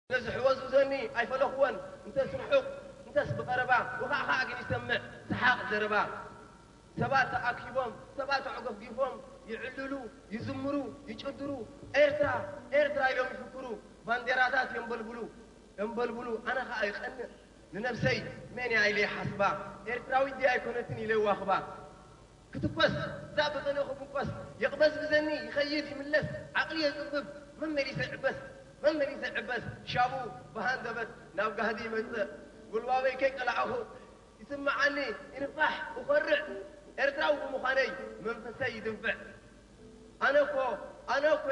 ነዚ ሕወዝውዘኒ ኣይፈለኽዎን፣ እንተስ ርሑቕ እንተስ ብቐረባ፣ ውኻዕኻዕ ግን ይሰምዕ ሰሓቕ ዘረባ። ሰባት ተኣኪቦም፣ ሰባት ተዕገፍጊፎም ይዕልሉ፣ ይዝምሩ፣ ይጭድሩ፣ ኤርትራ፣ ኤርትራ ኢሎም ይፍክሩ፣ ባንዴራታት የንበልብሉ፣ የንበልብሉ። ኣነ ኸኣ ይቐንእ ንነብሰይ፣ መን እያ ኢለ ይሓስባ፣ ኤርትራዊት ድያ ኣይኮነትን ኢለ ይዋኽባ። ክትኮስ እዛ ብቕንኢ ክብንቆስ፣ የቕበዝብዘኒ ይኸይድ ይምለስ፣ ዓቕሊ የጽብብ፣ መመሊሰ ይዕበስ፣ መመሊሰ ይዕበስ፣ ሻቡ ብሃንደበት ናብ ጋህዲ ይመጽእ፣ ጉልባበይ ከይቀላዕኹ ይስምዓኒ፣ ይንፋሕ፣ እኾርዕ፣ ኤርትራዊ ብምዃነይ መንፈሰይ ይድንፍዕ። ኣነ እኮ፣ ኣነ እኮ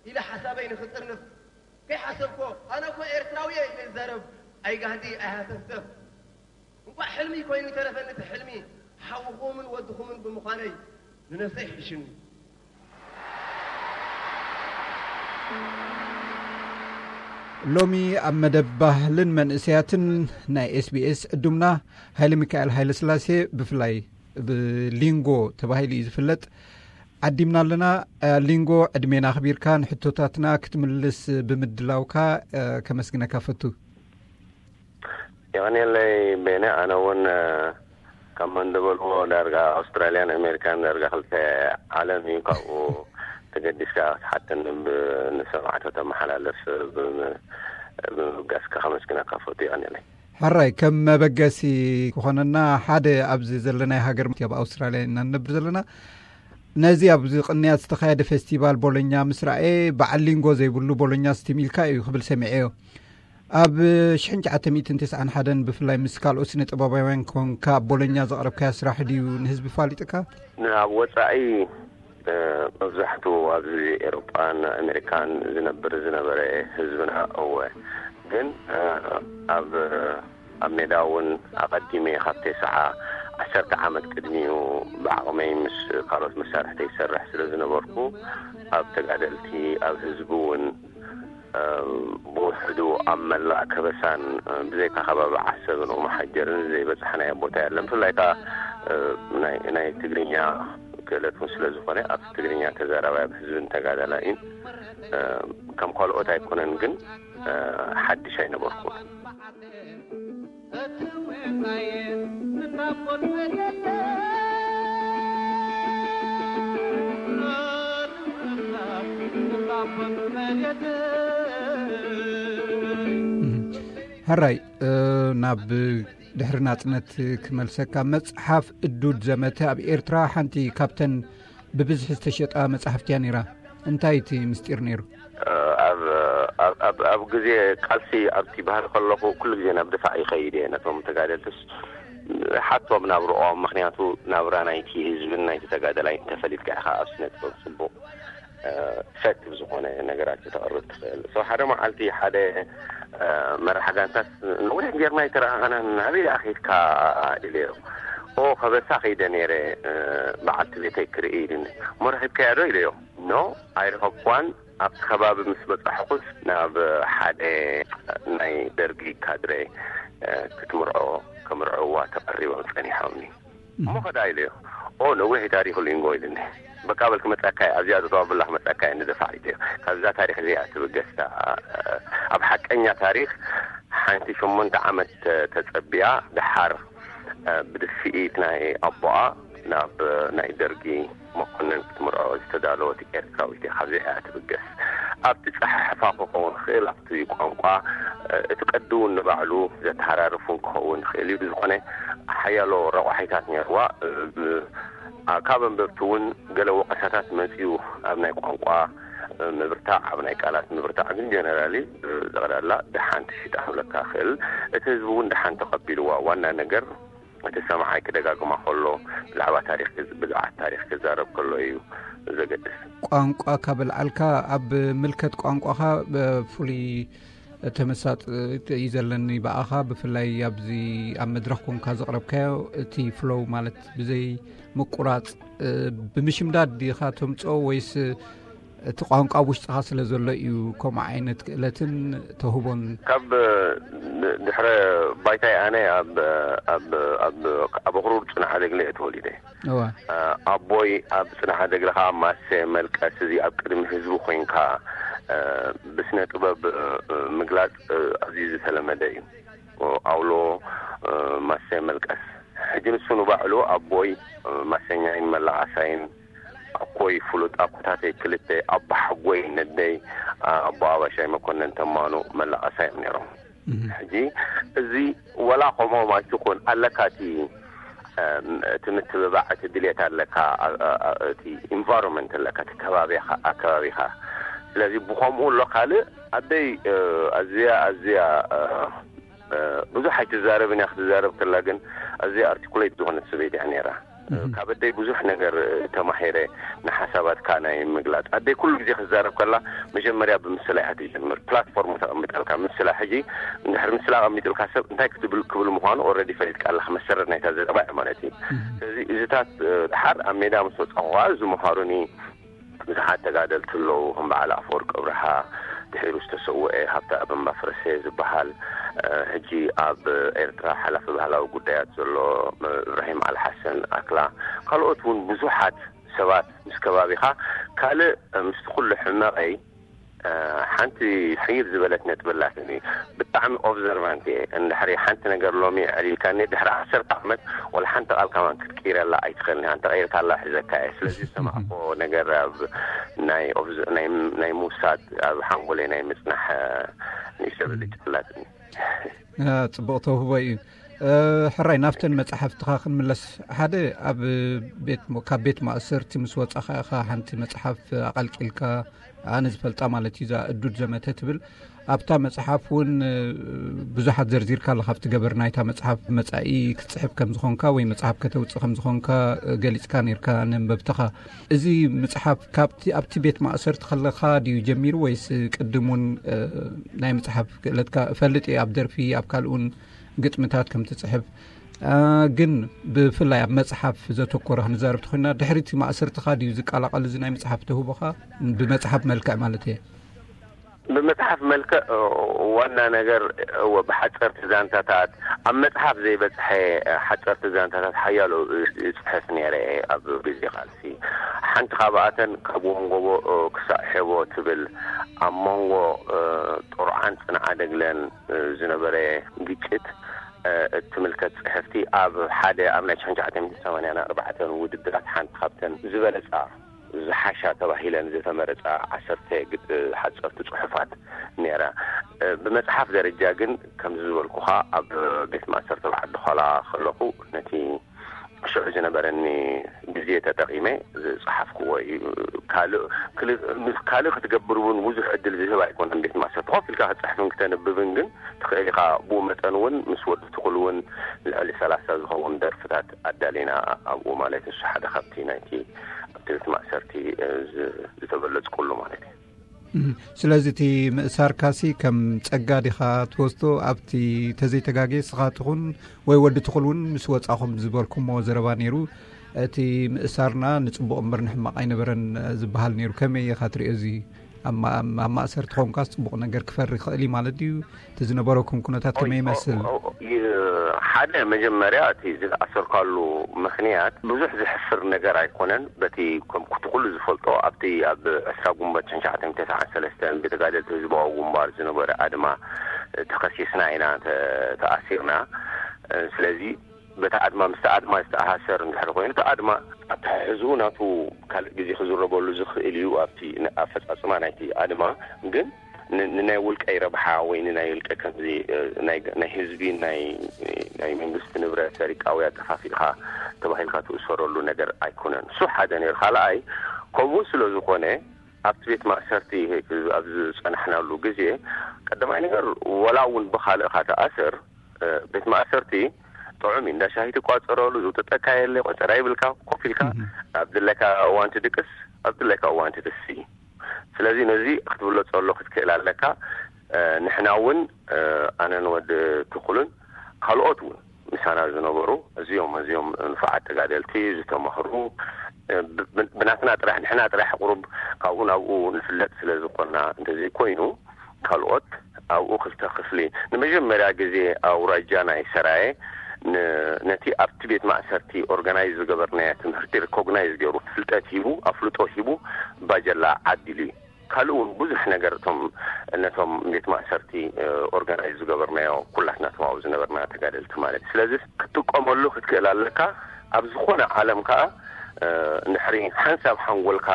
ኢለ ሓሳበይ ንኽጥርንፍ ከይሓሰብኮ፣ ኣነ እኮ ኤርትራዊ እየ ኢለ ይዛረብ፣ ኣይጋህዲ ኣይሃተፍተፍ። እንቋዕ ሕልሚ ኮይኑ ይተረፈኒ እቲ ሕልሚ፣ ሓውኹምን ወድኹምን ብምዃነይ ንነብሰይ ይሕሽኒ። ሎሚ ኣብ መደብ ባህልን መንእሰያትን ናይ ኤስቢኤስ ዕዱምና ሃይለ ሚካኤል ሃይለ ስላሴ፣ ብፍላይ ብሊንጎ ተባሂሉ እዩ ዝፍለጥ፣ ዓዲምና ኣለና። ሊንጎ፣ ዕድሜና ኣኽቢርካ ንሕቶታትና ክትምልስ ብምድላውካ ከመስግነካ ፈቱ። የቐንየለይ ቤነ። ኣነ እውን ከም እንደበልዎ ዳርጋ ኣውስትራልያን ኣሜሪካን ዳርጋ ክልተ ዓለም እዩ። ካብኡ ተገዲስካ ክትሓተኒ፣ ንሰማዕቶ ተመሓላልፍ ብምብጋስካ ከመስግነካ ፈቱ። የቐንየለይ። ሕራይ፣ ከም መበገሲ ክኾነና፣ ሓደ ኣብዚ ዘለናይ ሃገር፣ ኣብ ኣውስትራልያ ኢና ንነብር ዘለና። ነዚ ኣብዚ ቅንያት ዝተኻየደ ፌስቲቫል ቦሎኛ ምስ ረኣየ፣ በዓል ሊንጎ ዘይብሉ ቦሎኛ ስቲም ኢልካ እዩ ክብል ሰሚዐዮ። ኣብ ሽሕን ትሽዓተ ሚእትን ተስዓን ሓደን ብፍላይ ምስ ካልኦት ስነ ጥበባውያን ኮንካ ኣብ ቦሎኛ ዘቕረብካዮ ስራሕ ድዩ ንህዝቢ ፋሊጥካ? ናብ ወጻኢ መብዛሕቱ ኣብዚ ኤሮጳን ኣሜሪካን ዝነብር ዝነበረ ህዝብና እወ፣ ግን ኣብ ኣብ ሜዳ እውን ኣቐዲመ ካብ ተስዓ ዓሰርተ ዓመት ቅድሚኡ ብዓቕመይ ምስ ካልኦት መሳርሕተይ ይሰርሕ ስለ ዝነበርኩ ኣብ ተጋደልቲ ኣብ ህዝቢ እውን ብውሕዱ ኣብ መላእ ከበሳን ብዘይካ ከባቢ ዓሰብን ኦመሓጀርን ዘይበጻሕናዮ ቦታ የለን። ብፍላይ ከኣ ናይ ትግርኛ ክእለት እውን ስለ ዝኾነ ኣብ ትግርኛ ተዛራባይ ኣብ ህዝብን ተጋዳላይን ከም ካልኦት ኣይኮነን፣ ግን ሓድሽ ኣይነበርኩን። ሕራይ፣ ናብ ድሕሪ ናጽነት ክመልሰካ፣ መጽሓፍ እዱድ ዘመተ ኣብ ኤርትራ ሓንቲ ካብተን ብብዝሒ ዝተሸጣ መጻሕፍቲ እያ ነይራ። እንታይ እቲ ምስጢር ነይሩ? ኣብ ግዜ ቃልሲ ኣብቲ ባህሊ ከለኹ ኩሉ ግዜ ናብ ድፋዕ ይኸይድ እየ። ነቶም ተጋደልትስ ሓቶም ናብርኦም፣ ምኽንያቱ ናብራ ናይቲ ህዝብን ናይቲ ተጋደላይን ተፈሊጥካ ኢኻ ኣብ ስነ ጥበብ ጽቡቕ ኢፈክቲቭ ዝኾነ ነገራት ክተቕርብ ትኽእል። So ሓደ መዓልቲ ሓደ መራሕ ጋንታስ፣ ነዊሕ ጌርና ኣይተረኣኻናን፣ ናበይ ደኣ ኬድካ? ኢለዮ። ኦ፣ ከበሳ ከይደ ነይረ፣ በዓልቲ ቤተይ ክርኢ ኢሉኒ። እሞ ረኺብካያ ዶ? ኢለዮ። ኖ፣ ኣይረኸብኳን። ኣብቲ ከባቢ ምስ በጻሕኩስ ናብ ሓደ ናይ ደርጊ ካድረ ክትምርዖ፣ ከምርዕዋ ተቐሪቦም ጸኒሖምኒ። እሞ ኸዳ ኢለዮ። ኦ፣ ነዊሕ ታሪኽ ሊንጎ ኢሉኒ። በቃ በል ክመጻካ እየ፣ ኣብዚኣ ዘተዋብላ ክመጻካ እየ ንደፋዕ ኢለዮ። ካብዛ ታሪኽ እዚኣ ትብገስታ ኣብ ሓቀኛ ታሪኽ ሓንቲ ሸሞንተ ዓመት ተጸቢያ ደሓር ብድፍኢት ናይ ኣቦኣ ናብ ናይ ደርጊ መኮንን ክትምርዖ ዝተዳለወት ኤርትራዊት እያ። ካብዚኣ እያ ትብገስ። ኣብቲ ጸሓሕፋ ክኸውን ክእል፣ ኣብቲ ቋንቋ እቲ ቀዲ እውን ንባዕሉ ዘተሃራርፍ እውን ክኸውን ይኽእል እዩ። ብዝኾነ ሓያሎ ረቋሒታት ነይርዋ። ካብ ኣንበብቲ እውን ገለ ወቐሳታት መጺኡ፣ ኣብ ናይ ቋንቋ ምብርታዕ፣ ኣብ ናይ ቃላት ምብርታዕ። ግን ጀነራሊ ጠቕላላ ደሓን ተሽጣ ክብለካ ክእል። እቲ ህዝቢ እውን ደሓን ተቐቢልዋ። ዋና ነገር እቲ ሰምዓይ ክደጋግማ ከሎ ብዛዕባ ታሪኽ ብዛዕባ ታሪኽ ክዛረብ ከሎ እዩ ዘገድስ። ቋንቋ ካብ ኣልዓልካ ኣብ ምልከት ቋንቋኻ ብፍሉይ ተመሳጥ እዩ ዘለኒ ብኣኻ፣ ብፍላይ ኣብዚ ኣብ መድረኽ ኮንካ ዘቕረብካዮ እቲ ፍሎው ማለት ብዘይ ምቁራጽ ብምሽምዳድ ዲኻ ተምጽኦ ወይስ እቲ ቋንቋ ኣብ ውሽጥኻ ስለ ዘሎ እዩ ከምኡ ዓይነት ክእለትን ተውህቦን? ካብ ድሕረ ባይታይ ኣነ ኣብ ኣብ ኣኽሩር ጽንዓ ደግለ እየ ተወሊደ። ኣቦይ ኣብ ጽንዓ ደግለ ከኣ ማሰ መልቀስ እዚ ኣብ ቅድሚ ህዝቢ ኮይንካ ብስነ ጥበብ ምግላጽ ኣዝዩ ዝተለመደ እዩ። ኣውሎ፣ ማሰ፣ መልቀስ። ሕጂ ንሱ ንባዕሉ ኣቦይ፣ ማሰኛይን መላቓሳይን፣ ኣኮይ ፍሉጥ ኣኮታተይ ክልተ፣ ኣቦሓጎይ ነደይ፣ ኣቦ ኣባሻይ መኮነን ተማኑ መላቓሳይ እዮም ነይሮም። ሕጂ እዚ ወላ ከምኦም ኣይትኹን ኣለካ፣ እቲ እቲ ምትብባዕ፣ እቲ ድሌት ኣለካ፣ እቲ ኢንቫይሮንመንት ኣለካ፣ እቲ ከባቢኻ፣ ኣከባቢኻ። ስለዚ ብኸምኡ ኣሎ። ካልእ ኣደይ ኣዝያ ኣዝያ ብዙሕ ኣይትዛረብን እያ፣ ክትዛረብ ከላ ግን ኣዝያ ኣርቲኩሌት ዝኾነት ሰበይቲ እያ ነይራ። ካብ ኣደይ ብዙሕ ነገር ተማሂረ፣ ንሓሳባትካ ናይ ምግላጽ። ኣደይ ኩሉ ግዜ ክትዛረብ ከላ መጀመርያ ብምስላ እያ ትጀምር። ፕላትፎርም ተቐምጠልካ ምስላ። ሕጂ እንድሕር ምስላ ኣቐሚጥልካ ሰብ እንታይ ክትብል ክብል ምዃኑ ኦልሬዲ ፈሊጥካ ኣለኻ፣ መሰረት ናይታ ዘረባ እያ ማለት እዩ። ስለዚ እዚታት ድሓር ኣብ ሜዳ ምስ ወጻኹ ከዓ ዝመሃሩኒ ብዙሓት ተጋደልቲ ኣለዉ፣ ከም በዓል ኣፈወርቂ ኣብርሃ፣ ድሒሩ ዝተሰወኤ ሃብተ ኣበምባ ፍረሰ ዝበሃል፣ ሕጂ ኣብ ኤርትራ ሓላፊ ባህላዊ ጉዳያት ዘሎ እብራሂም ኣልሓሰን ኣክላ፣ ካልኦት እውን ብዙሓት ሰባት ምስ ከባቢኻ። ካልእ ምስቲ ኩሉ ሕመቐይ ሓንቲ ሕይል ዝበለት ነጥቢ ኣላትኒ። ብጣዕሚ ኦብዘርቫንት እየ። እንድሕሪ ሓንቲ ነገር ሎሚ ዕሊልካኒ፣ ድሕሪ ዓሰርተ ዓመት ወላ ሓንቲ ቃል ከማን ክትቅይረላ ኣይትኽእልን። ኣንተ ቀይርካላ ሒዘካ እየ። ስለዚ ዝሰማዕኮ ነገር ኣብ ናይ ኦብዘ-፣ ናይ፣ ናይ ምውሳድ ኣብ ሓንጎለይ ናይ ምጽናሕ ንእሽቶ ብልጭ ኣላትኒ። ጽቡቕ ተውህቦ እዩ። ሕራይ ናብተን መጽሓፍትኻ ክንምለስ፣ ሓደ ኣብ ቤት፣ ካብ ቤት ማእሰርቲ ምስ ወጻኻ ኢኻ ሓንቲ መጽሓፍ ኣቐልቂልካ፣ ኣነ ዝፈልጣ ማለት እዩ፣ እዛ እዱድ ዘመተ ትብል። ኣብታ መጽሓፍ እውን ብዙሓት ዘርዚርካ ኣለኻ፣ ኣብቲ ገበር ናይታ መጽሓፍ፣ መጻኢ ክትጽሕፍ ከም ዝኾንካ ወይ መጽሓፍ ከተውጽእ ከም ዝኾንካ ገሊጽካ ነርካ ነንበብትኻ። እዚ ምጽሓፍ ካብቲ፣ ኣብቲ ቤት ማእሰርቲ ከለኻ ድዩ ጀሚሩ ወይስ ቅድም እውን ናይ ምጽሓፍ ክእለትካ? እፈልጥ እየ ኣብ ደርፊ ኣብ ካልእ እውን ግጥምታት ከም ትጽሕፍ፣ ግን ብፍላይ ኣብ መጽሓፍ ዘተኮረ ክንዛረብ ተኾይና፣ ድሕሪ እቲ ማእሰርትኻ ድዩ ዝቀላቐል እዚ ናይ ምጽሓፍ ተውህቦኻ? ብመጽሓፍ መልክዕ ማለት እየ። ብመጽሓፍ መልክዕ ዋና ነገር፣ እወ፣ ብሓጸርቲ ዛንታታት፣ ኣብ መጽሓፍ ዘይበጽሐ ሓጸርቲ ዛንታታት ሓያሎ እጽሕፍ ነይረ ኣብ ግዜ ቃልሲ። ሓንቲ ካብኣተን ካብ ወንጎቦ ክሳእ ሔቦ ትብል፣ ኣብ መንጎ ጥሩዓን ጽንዓደግለን ዝነበረ ግጭት እትምልከት ጽሕፍቲ፣ ኣብ ሓደ ኣብ ናይ ሽሕን ትሽዓተ ሚእትን ሰማንያን ኣርባዕተን ውድድራት ሓንቲ ካብተን ዝበለጻ፣ ዝሓሻ ተባሂለን ዝተመረጻ ዓሰርተ ግጥ-፣ ሓጸርቲ ጽሑፋት ነይራ። ብመጽሓፍ ደረጃ ግን ከምዚ ዝበልኩኻ ኣብ ቤት ማእሰርቲ ኣብ ዓዲ ኾላ ከለኹ ነቲ ሽዑ ዝነበረኒ ግዜ ተጠቒመ ዝጸሓፍክዎ እዩ። ካልእ፣ ክል-፣ ምስ ካልእ ክትገብር እውን ብዙሕ ዕድል ዝህብ ኣይኮነን። ቤት ማእሰርቲ ኮፍ ኢልካ ክትጽሕፍን ክተንብብን ግን ትኽእል ኢኻ። ብኡ መጠን እውን ምስ ወዲ ትኹል እውን ልዕሊ ሰላሳ ዝኸውን ደርፍታት ኣዳሊና ኣብኡ ማለት፣ ንሱ ሓደ ካብቲ ናይቲ ኣብቲ ቤት ማእሰርቲ ዝ-፣ ዝተበለጽኩሉ ማለት እዩ። እም፣ ስለዚ እቲ ምእሳርካሲ ከም ጸጋ ዲኻ ትወስዶ? ኣብቲ ተዘይተጋጌ ስኻ ትኹን ወይ ወዲ ትኹል እውን ምስ ወጻኹም ዝበልኩሞ ዘረባ ነይሩ። እቲ ምእሳርና ንጽቡቕ እምበር ንሕማቕ ኣይነበረን ዝበሃል ነይሩ። ከመይ ኢኻ ትሪኦ እዚ? ኣብ ማ-፣ ኣብ ማእሰርቲ ኾንካስ ጽቡቕ ነገር ክፈሪ ይኽእል እዩ ማለት ድዩ? እቲ ዝነበረኩም ኩነታት ከመይ ይመስል? ኦ፣ ኦ፣ ኦ፣ ይ-፣ ሓደ መጀመርያ እቲ ዝተኣሰርካሉ ምኽንያት ብዙሕ ዘሕፍር ነገር ኣይኮነን። በቲ ከም ኩቲ ኩሉ ዝፈልጦ ኣብቲ ኣብ ዕስራ ጉንበት ሽሕን ትሽዓተ ሚእትን ተስዓን ሰለስተን ብተጋደልቲ ህዝባዊ ግንባር ዝነበረ ኣድማ ተኸሲስና ኢና ተ-፣ ተኣሲርና። ስለዚ በቲ ኣድማ፣ ምስቲ ኣድማ ዝተኣሳሰር እንድሕር ኮይኑ፣ እቲ ኣድማ ኣተሓሕዝኡ ናቱ ካልእ ግዜ ክዝረበሉ ዝኽእል እዩ፣ ኣብቲ ን-፣ ኣፈጻጽማ ናይቲ ኣድማ። ግን ን-፣ ንናይ ውልቀይ ረብሓ ወይ ንናይ ውልቀ ከምዚ፣ እ፣ ናይ፣ ናይ ህዝቢ፣ ናይ፣ ናይ መንግስቲ ንብረት ሰሪቃ ወይ ኣጠፋፊእኻ ተባሂልካ ትእሰረሉ ነገር ኣይኮነን። እሱ ሓደ ነይሩ። ካልኣይ፣ ከምኡ ስለ ዝኾነ፣ ኣብቲ ቤት ማእሰርቲ ኣብ ዝጸናሕናሉ ግዜ፣ ቀዳማይ ነገር፣ ወላ እውን ብኻልእኻ ተኣስር፣ እ፣ ቤት ማእሰርቲ ጥዑም እዩ። እንዳ ሻሂ ትቋጸረሉ፣ ዝውጥጠካ የለ፣ ቆጸራ ይብልካ፣ ኮፍ ኢልካ እህ። ኣብ ድለካ እዋን ትድቅስ፣ ኣብ ድለካ እዋን ትትሲ። ስለዚ ነዚ ክትብሎ ጸሎ ክትክእል ኣለካ። እ፣ ንሕና እውን፣ እ፣ ኣነን ወዲ ትኹልን ካልኦት እውን ምሳና ዝነበሩ እዚኦም፣ እዚኦም ንፉዓት ተጋደልቲ ዝተማህሩ፣ እ፣ ብ-፣ ብ-፣ ብናትና ጥራሕ፣ ንሕና ጥራሕ ቁሩብ ካብኡ ናብኡ ንፍለጥ ስለ ዝኾንና፣ እንተዘይኮይኑ፣ ካልኦት ኣብኡ ክልተ ክፍሊ፣ ንመጀመርያ ግዜ ኣውራጃ ናይ ሰራየ ን-፣ ነቲ ኣብቲ ቤት ማእሰርቲ ኦርጋናይዝ ዝገበርናዮ ትምህርቲ ሪኮግናይዝ ገይሩ፣ ፍልጠት ሂቡ፣ ኣፍልጦ ሂቡ፣ ባጀላ ዓዲሉ እዩ። ካልእ እውን ብዙሕ ነገር እቶም ነቶም ቤት ማእሰርቲ ኦርጋናይዝ ዝገበርናዮ ኩላትና ተማው ዝነበርና ተጋደልቲ ማለት እዩ። ስለዚ ክትጥቀመሉ ክትክእል ኣለካ። ኣብ ዝኾነ ዓለም ከዓ ንሕሪ ሓንሳብ ሓንጎልካ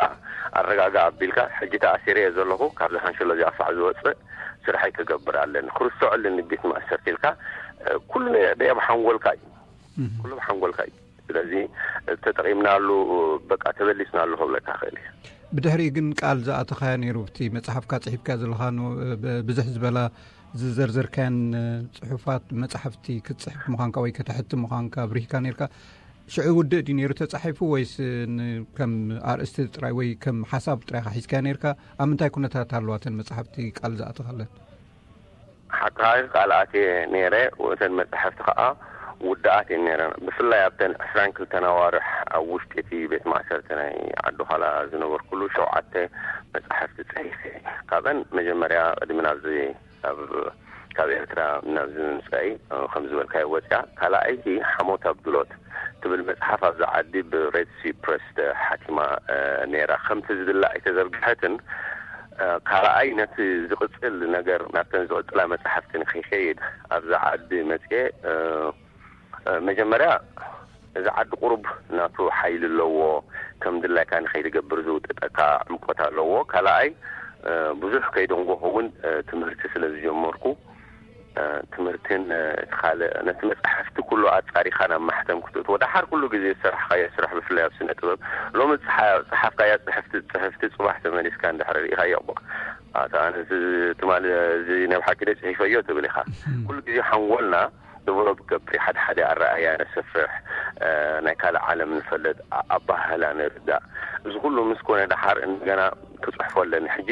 ኣረጋጋ ኣቢልካ ሕጂ ተኣሲረ እየ ዘለኹ፣ ካብዚ ሓንሸሎ እዚኣ ፋዕ ዝወፅእ ስራሐይ ክገብር ኣለኒ፣ ክርስዖ ኣለኒ ቤት ማእሰርቲ ኢልካ ኩሉ ደየብ ሓንጎልካ እዩ። ኩሉ ሓንጎልካ እዩ። ስለዚ ተጠቒምናሉ፣ በቃ ተበሊስናሉ ክብለካ ክእል እየ። ብድሕሪ ግን ቃል ዝኣተኻዮ ነይሩ፣ ብቲ መጽሓፍካ ጽሒፍካ ዘለኻ ን-፣ ብ-፣ ብዝሕ ዝበላ ዝዘርዘርካያን ጽሑፋት መጽሓፍቲ ክትጽሕፍ ምዃንካ ወይ ከተሕቲ ምዃንካ ብሪህካ ነርካ። ሽዑ ውድእ ድዩ ነይሩ ተጻሒፉ ወይስ ን-፣ ከም ኣርእስቲ ጥራይ ወይ ከም ሓሳብ ጥራይ ኢኻ ሒዝካዮ ነርካ? ኣብ ምንታይ ኩነታት ኣለዋ እተን መጽሓፍቲ ቃል ዝኣተኻለን? ሓቃ ቃል ኣትየ ነይረ። እተን መጻሕፍቲ ከኣ ውድኣት እየን ነይረን። ብፍላይ ኣብተን ዕስራን ክልተን ኣዋርሕ ኣብ ውሽጢ እቲ ቤት ማእሰርቲ ናይ ዓዲ ዃላ ዝነበርኩሉ ሸውዓተ መጻሕፍቲ ጽሒፈ። ካብአን መጀመርያ ቅድሚ ናብዚ ኣብ ካብ ኤርትራ ናብዚ ምምጻእይ ከም ዝበልካዮ ወጽያ፣ ካልኣይቲ ሓሞት ኣብ ድሎት ትብል መጽሓፍ ኣብዛ ዓዲ ብሬድ ሲ ፕረስ ተሓቲማ ነይራ። ከምቲ ዝድለ ኣይተዘርግሐትን። ካልኣይ ነቲ ዝቕጽል ነገር ናብተን ዝቕጽላ መጻሕፍቲ ንኸይከይድ ኣብዛ ዓዲ መጽየ፣ መጀመርያ እዚ ዓዲ ቁሩብ ናቱ ሓይሊ ኣለዎ፣ ከም ድላይካ ንኸይትገብር ዝውጥጠካ ዕምቆት ኣለዎ። ካልኣይ ብዙሕ ከይደንጎኹ እውን ትምህርቲ ስለ ዝጀመርኩ ትምህርትን እቲ ካልእ ነቲ መጻሕፍቲ ኩሉ ኣጻሪኻ ናብ ማሕተም ክትእትዎ፣ ደሓር ኩሉ ግዜ ዝሰራሕካዮ ስራሕ ብፍላይ ኣብ ስነ ጥበብ ሎሚ ዝጸሓ-፣ ዝጸሓፍካያ ጽሕፍቲ ጽሕፍቲ ጽባሕ ተመሊስካ እንድሕር ርኢኻዮ እሞ ኣታ ኣነ እዚ ትማሊ እዚ ናይ ብሓቂ ደ ጽሒፈዮ ትብል ኢኻ። ኩሉ ግዜ ሓንጎልና ደቨሎፕ ገብር ሓደ ሓደ ኣረኣያ ነሰፍሕ፣ ናይ ካልእ ዓለም ንፈልጥ፣ ኣባህላ ንርዳእ። እዚ ኩሉ ምስ ኮነ ደሓር እንደገና ክጽሕፎ ኣለኒ። ሕጂ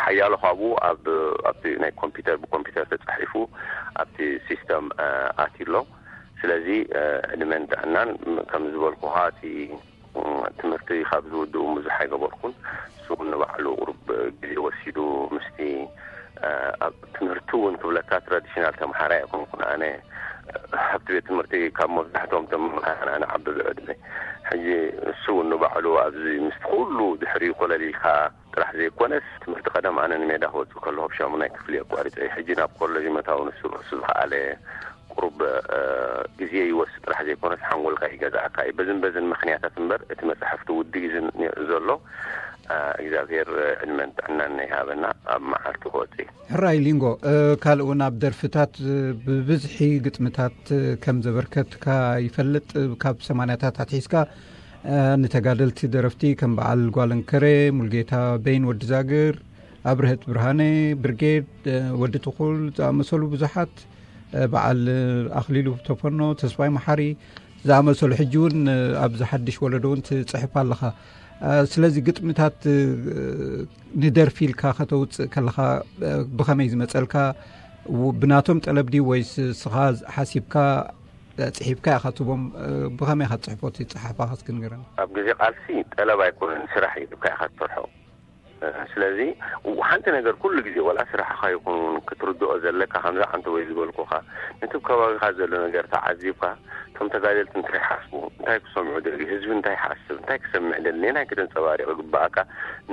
ሓያሎ ካብኡ ኣብ ኣብቲ ናይ ኮምፒውተር ብኮምፒውተር ተጻሒፉ ኣብቲ ሲስተም ኣትዩ ኣሎ። ስለዚ ዕድመን ጥዕናን ከም ዝበልኩኻ እቲ ትምህርቲ ካብ ዝውድኡ ብዙሕ ኣይገበርኩን። እሱ እውን ንባዕሉ ቁሩብ ግዜ ወሲዱ ምስቲ ኣብ ትምህርቲ እውን ክብለካ ትራዲሽናል ተምሃራይ ኣይኮንኩን። ኣነ ኣብቲ ቤት ትምህርቲ ካብ መብዛሕትኦም ተምሃራይ ኣነ ዓቢ ብዕድመ። ሕጂ እሱ እውን ንባዕሉ ኣብዚ ምስቲ ኩሉ ድሕሪኡ ኮለል ኢልካ ጥራሕ ዘይኮነስ ትምህርቲ ቀደም ኣነ ንሜዳ ክወጽእ ከለኹ ኣብ ሻሙናይ ክፍሊ ኣቋሪጸ። ሕጂ ናብ ኮለጅ መታው ንሱ ርእሱ ዝኸኣለ ቁሩብ ግዜ ይወስድ ጥራሕ ዘይኮነስ ሓንጎልካ ይገዝኣካ እዩ። በዝን በዝን ምኽንያታት እምበር እቲ መጽሕፍቲ ውድእ እዩ ዘሎ። እግዚኣብሔር ዕድመን ጥዕናን ይሃበና ኣብ መዓልቲ ክወጽእ እዩ። ሕራይ ሊንጎ፣ ካልእ እውን ኣብ ደርፍታት ብብዝሒ ግጥምታት ከም ዘበርከትካ ይፈልጥ። ካብ ሰማንያታት ኣትሒዝካ ንተጋደልቲ ደረፍቲ ከም በዓል ጓለንከሬ፣ ሙልጌታ በይን፣ ወዲ ዛግር፣ ኣብርሀት ብርሃነ፣ ብርጌድ፣ ወዲ ትኹል ዝኣመሰሉ ብዙሓት፣ በዓል ኣኽሊሉ ተፈኖ፣ ተስፋይ መሓሪ ዝኣመሰሉ ሕጂ እውን ኣብዚ ሓድሽ ወለዶ እውን ትጽሕፍ ኣለኻ። ስለዚ ግጥምታት ንደርፊ ኢልካ ከተውጽእ ከለኻ ብኸመይ ዝመጸልካ? ብናቶም ጠለብ ድዩ ወይስ ስኻ ሓሲብካ ጽሒፍካ ኢኻ ትቦም? ብኸመይ ኢኻ ትጽሕፎ እቲ ጸሓፋ እስኪ ንገረኒ። ኣብ ግዜ ቃልሲ ጠለብ ኣይኮነን፣ ስራሕ እዩ፣ ኢልካ ኢኻ ትሰርሖ። ስለዚ ሓንቲ ነገር ኩሉ ግዜ ወላ ስራሕኻ ይኹን ክትርድኦ ዘለካ፣ ከምዛ ዓንተ ወይ ዝበልኩኻ ነቲ ከባቢኻ ዘሎ ነገር ተዓዚብካ፣ እቶም ተጋደልቲ እንታይ ይሓስቡ፣ እንታይ ክሰምዑ ደልዩ፣ ህዝቢ እንታይ ይሓስብ፣ እንታይ ክሰምዕ ደሊ፣ ነናይ ከተንጸባሪቕ ይግባኣካ፣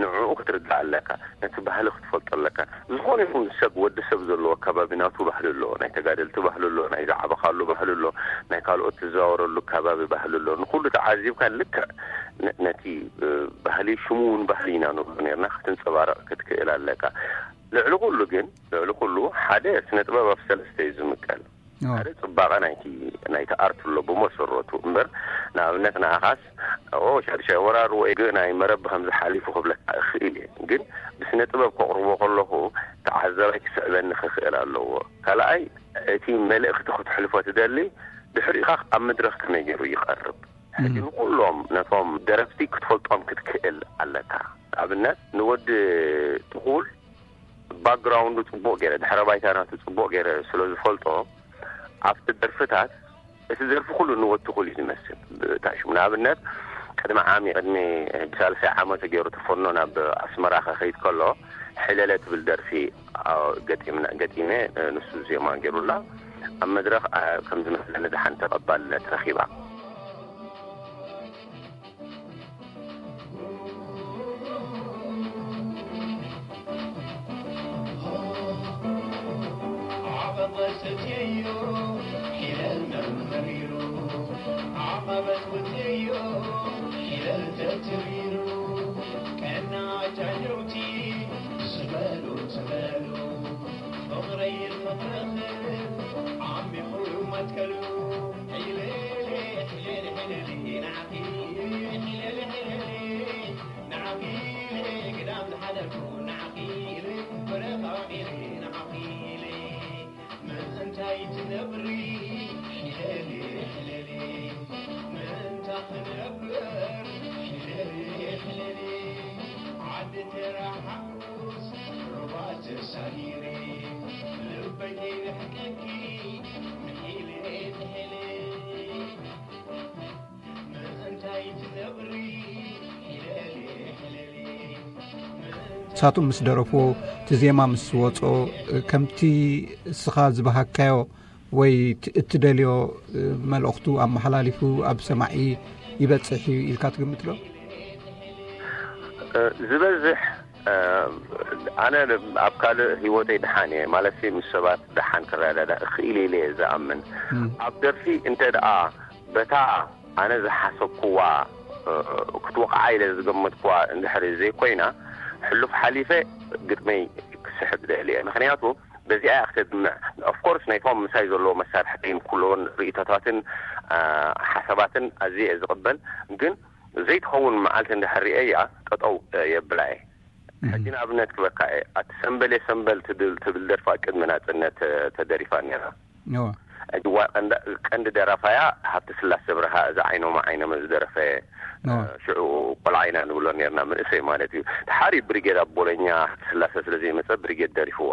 ንዕኡ ክትርዳእ ኣለካ፣ ነቲ ባህሊ ክትፈልጦ ኣለካ። ዝኾነ ይኹን ሰብ፣ ወዲ ሰብ ዘለዎ ከባቢ ናቱ ባህሊ ኣለዎ፣ ናይ ተጋደልቲ ባህሊ ኣለዎ፣ ናይ ዝዓበኻሉ ባህሊ ኣሎ፣ ናይ ካልኦት ትዘዋወረሉ ከባቢ ባህሊ ኣሎ። ንኹሉ ተዓዚብካ ልክዕ ነ-፣ ነቲ ባህሊ ሽሙ እውን ባህሊ ኢና ንብሎ ነርና ክትንጸባረቕ ክትክእል ኣለካ። ልዕሊ ኩሉ ግን ልዕሊ ኩሉ ሓደ ስነ ጥበብ ኣብ ሰለስተ እዩ ዝምቀል። ሓደ ጽባቐ ናይቲ ናይቲ ኣርት ኣሎ ብመሰረቱ እምበር፣ ንኣብነት ንኣኻስ ኦ ሻድሻይ ወራር ወይ ግ ናይ መረብ ብከምዚ ሓሊፉ ክብለካ እኽእል እየ፣ ግን ብስነ ጥበብ ከቕርቦ ከለኹ ተዓዛባይ ክስዕበኒ ክኽእል ኣለዎ። ካልኣይ እቲ መልእኽቲ ክትሕልፎ ትደሊ ድሕሪኻ ኣብ መድረኽ ከመይ ገይሩ ይቐርብ። ሕጂ ንኩሎም ነቶም ደረፍቲ ክትፈልጦም ክትክእል ኣለካ። ኣብነት ንወዲ ትኹል ባክግራውንዱ ጽቡቕ ገይረ፣ ድሕረ ባይታ ናቱ ጽቡቕ ገይረ ስለ ዝፈልጦ ኣብቲ ደርፍታት እቲ ደርፊ ኩሉ ንወዲ ትኹል እዩ ዝመስል። ብታሽሙ ንኣብነት ቅድሚ ዓሚ ቅድሚ ብሳልሳይ ዓመቱ ገይሩ ተፈኖ ናብ ኣስመራ ከኸይድ ከሎ ሕለለ ትብል ደርፊ ገጢመ ንሱ ዜማ ገይሩላ ኣብ መድረኽ ከም ዝመስለኒ ደሓን ተቐባልነት ረኺባ። ستيو حلال مرمريرو عقبة وتيو حلال تتريرو كأن عجلوتي سبالو سبالو فقري الفقر خلف عمي خوي وما تكلو حلالي حلالي حلالي نعقي حلالي حلالي نعقي قدام الحدث نعقي برقاقي نعقي ምእንታይ ትነብሪ ሕለሊ ሕለሊ ምእንታ ክነብር ሕለሊ ሕለሊ ዓዲ ተረሓቁስ ሩባ ተሳጊሪ ልበይ ከይርሕቀኪ ምሒለ ትሕሊ ምእንታይ ትነብሪ ሕለሊ ሕለሊ ምእንታ ንሳቶም ምስ ደረፍዎ፣ እቲ ዜማ ምስ ወጾ፣ ከምቲ እስኻ ዝበሃካዮ ወይ ት-፣ እትደልዮ መልእኽቱ ኣመሓላሊፉ ኣብ ሰማዒ ይበጽሕ እዩ ኢልካ ትግምት ዶ? ዝበዝሕ ኣነ ኣብ ካልእ ህይወተይ ደሓን እየ ማለት ምስ ሰባት ደሓን ክረዳዳ እኽእል ኢለ እየ ዝኣምን። ኣብ ደርፊ እንተ ደኣ በታ ኣነ ዝሓሰብኩዋ ክትወቕዓ ኢለ ዝገመትኩዋ እንድሕሪ ዘይኮይና ሕሉፍ ሓሊፈ ግጥመይ ክስሕብ ደሊ እየ። ምክንያቱ በዚኣ እያ ክተድምዕ። ኦፍኮርስ ናይቶም ምሳይ ዘለዎ መሳርሕተይን ኩሎን ርእይቶታትን ሓሳባትን ኣዝየ እየ ዝቕበል፣ ግን ዘይትኸውን መዓልቲ እንድሕር ርእየያ ጠጠው የብላ እየ። ሕጂ ንኣብነት ክበካ እየ፣ ኣቲ ሰምበል የሰምበል ትብል ደርፋ ቅድሚ ናጽነት ተደሪፋ ነይራ። እዋ ቀንዲ ደራፋያ ሃብተ ስላሴ ብርሃ እዛ ዓይኖም ዓይኖም ዝደረፈ ሽዑ ቆልዓ ኢና ንብሎ ነርና፣ መንእሰይ ማለት እዩ። ድሓር እዩ ብሪጌድ ኣብ ቦሎኛ ሃብተ ስላሴ ስለ ዘይመጸ ብሪጌድ ደሪፍዋ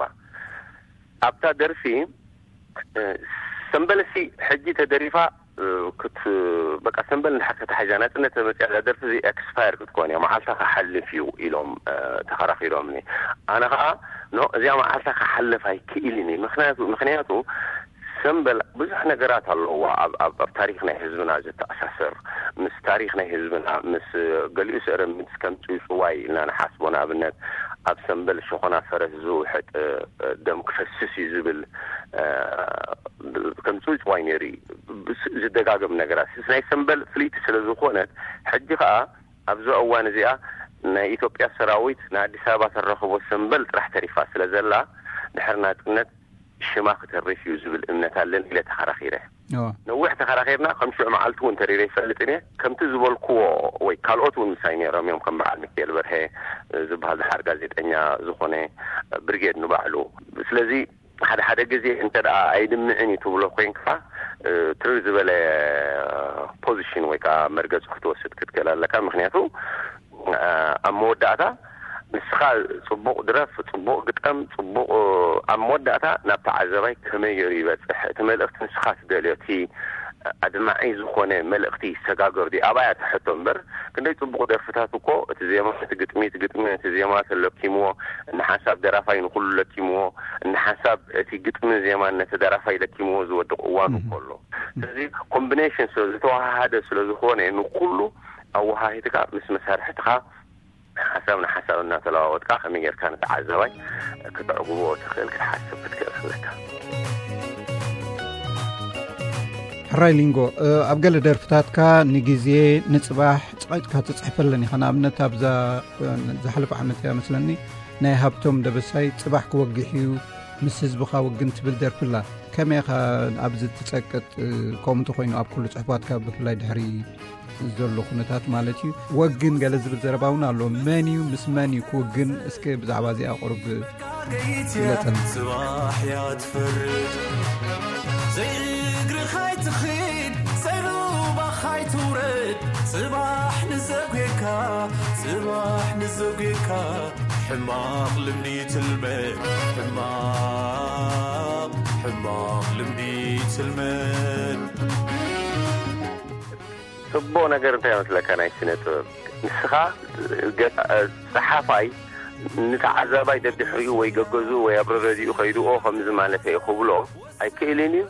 ኣብታ ደርፊ። ሰምበለሲ ሕጂ ተደሪፋ ክት በቃ ሰምበል እንድሓር ከተሓይዛ ናጽነት ተመጽያ እዛ ደርፊ እዚ ኤክስፓየር ክትኮን እያ፣ መዓልታ ክሓልፍ እዩ ኢሎም ተኸራኺሮምኒ። ኣነ ኸዓ ኖ እዚኣ መዓልታ ክሓልፍ ኣይክእልን እዩ። ምክንያቱ ምክንያቱ ሰምበል ብዙሕ ነገራት ኣለዋ ኣብ ኣብ ኣብ ታሪኽ ናይ ህዝብና ዘተኣሳስር፣ ምስ ታሪኽ ናይ ህዝብና ምስ ገሊኡ ስዕረ ምስ ከም ጽውጽዋይ ኢልና ንሓስቦ። ንኣብነት ኣብ ሰምበል ሸኾና ፈረስ ዝውሕጥ ደም ክፈስስ እዩ ዝብል ከም ጽውጽዋይ ነይሩ እዩ ዝደጋገም ነገራት። ናይ ሰምበል ፍልይቲ ስለ ዝኾነት ሕጂ ኸዓ ኣብዛ እዋን እዚኣ ናይ ኢትዮጵያ ሰራዊት ንኣዲስ ኣበባ ተረኽቦ ሰምበል ጥራሕ ተሪፋ ስለ ዘላ ድሕሪ ናጽነት ሽማ ክተርፍ እዩ ዝብል እምነት ኣለኒ ኢለ ተኸራኺረ። ነዊሕ ተኸራኺርና፣ ከም ሽዑ መዓልቲ እውን ተሪረ ይፈልጥን እየ። ከምቲ ዝበልክዎ ወይ ካልኦት እውን ምሳይ ነይሮም እዮም፣ ከም በዓል ሚካኤል በርሀ ዝበሃል ድሓር ጋዜጠኛ ዝኾነ ብርጌድ ንባዕሉ። ስለዚ ሓደ ሓደ ግዜ እንተ ደኣ ኣይድምዕን እዩ ትብሎ ኮይንካ ትርር ዝበለ ፖዚሽን ወይ ከዓ መርገፂ ክትወስድ ክትክእል ኣለካ። ምክንያቱ ኣብ መወዳእታ ንስኻ ጽቡቕ ድረፍ፣ ጽቡቕ ግጠም፣ ጽቡቕ ኣብ መወዳእታ ናብ ተዓዘባይ ከመይ ገይሩ ይበጽሕ እቲ መልእኽቲ ንስኻ ትደልዮ እቲ ኣድማዒ ዝኾነ መልእኽቲ ይሰጋገር ድዩ ኣብኣ እያ ትሕቶ እምበር ክንደይ ጽቡቕ ደርፍታት እኮ እቲ ዜማ እቲ ግጥሚ እቲ ግጥሚ እቲ ዜማ ተለኪምዎ እንሓንሳብ ደራፋይ ንኹሉ ለኪምዎ እንሓንሳብ እቲ ግጥሚ ዜማን ነቲ ደራፋይ ለኪምዎ ዝወድቕ እዋኑ እኮ ኣሎ። ስለዚ ኮምቢኔሽን ስለ ዝተወሃሃደ ስለ ዝኾነ ንኹሉ ኣወሃሂድካ ምስ መሳርሕትኻ ሓሳብ ንሓሳብ እናተለዋወጥካ ከመይ ጌርካ ንተዓዛባይ ክተዕግቦ ትኽእል ክትሓስብ ክትክእል ኣለካ። ሕራይ ሊንጎ፣ ኣብ ገለ ደርፍታትካ ንግዜ ንጽባሕ ጸቒጥካ ትጽሕፈለን ኢኻ። ንኣብነት ኣብዛ ዝሓለፈ ዓመት እያ መስለኒ ናይ ሃብቶም ደበሳይ ጽባሕ ክወግሕ እዩ ምስ ህዝብኻ ወግን ትብል ደርፍላ። ከመይ ኢኻ ኣብዚ ትጸቅጥ? ከምኡ እንተኾይኑ ኣብ ኩሉ ጽሑፋትካ ብፍላይ ድሕሪ ዘሎ ኩነታት ማለት እዩ። ወግን ገለ ዝብል ዘረባ እውን ኣሎ። መን እዩ ምስ መን እዩ ክውግን? እስከ ብዛዕባ እዚኣ ቁሩብ ግለጸልና። ጽባሕ እያ ትፈርድ ዘይእግርኻ ኣይትኺድ ዘይሩባኻ ኣይትውረድ ጽባሕ ንዘጉካ ጽባሕ ንዘጉካ ሕማቕ ልምዲ ትልመድ ሕማቕ ሕማቕ ልምዲ ትልመድ። ጽቡቕ ነገር እንታይ መስለካ ናይ ስነ ጥበብ ንስኻ ጸሓፋይ ንተዓዛባይ ደድሕሪኡ ወይ ገገዝኡ ወይ ኣብ ረረዲኡ ከይድኦ ከምዚ ማለት እየ ክብሎ ኣይክእልን እዩ።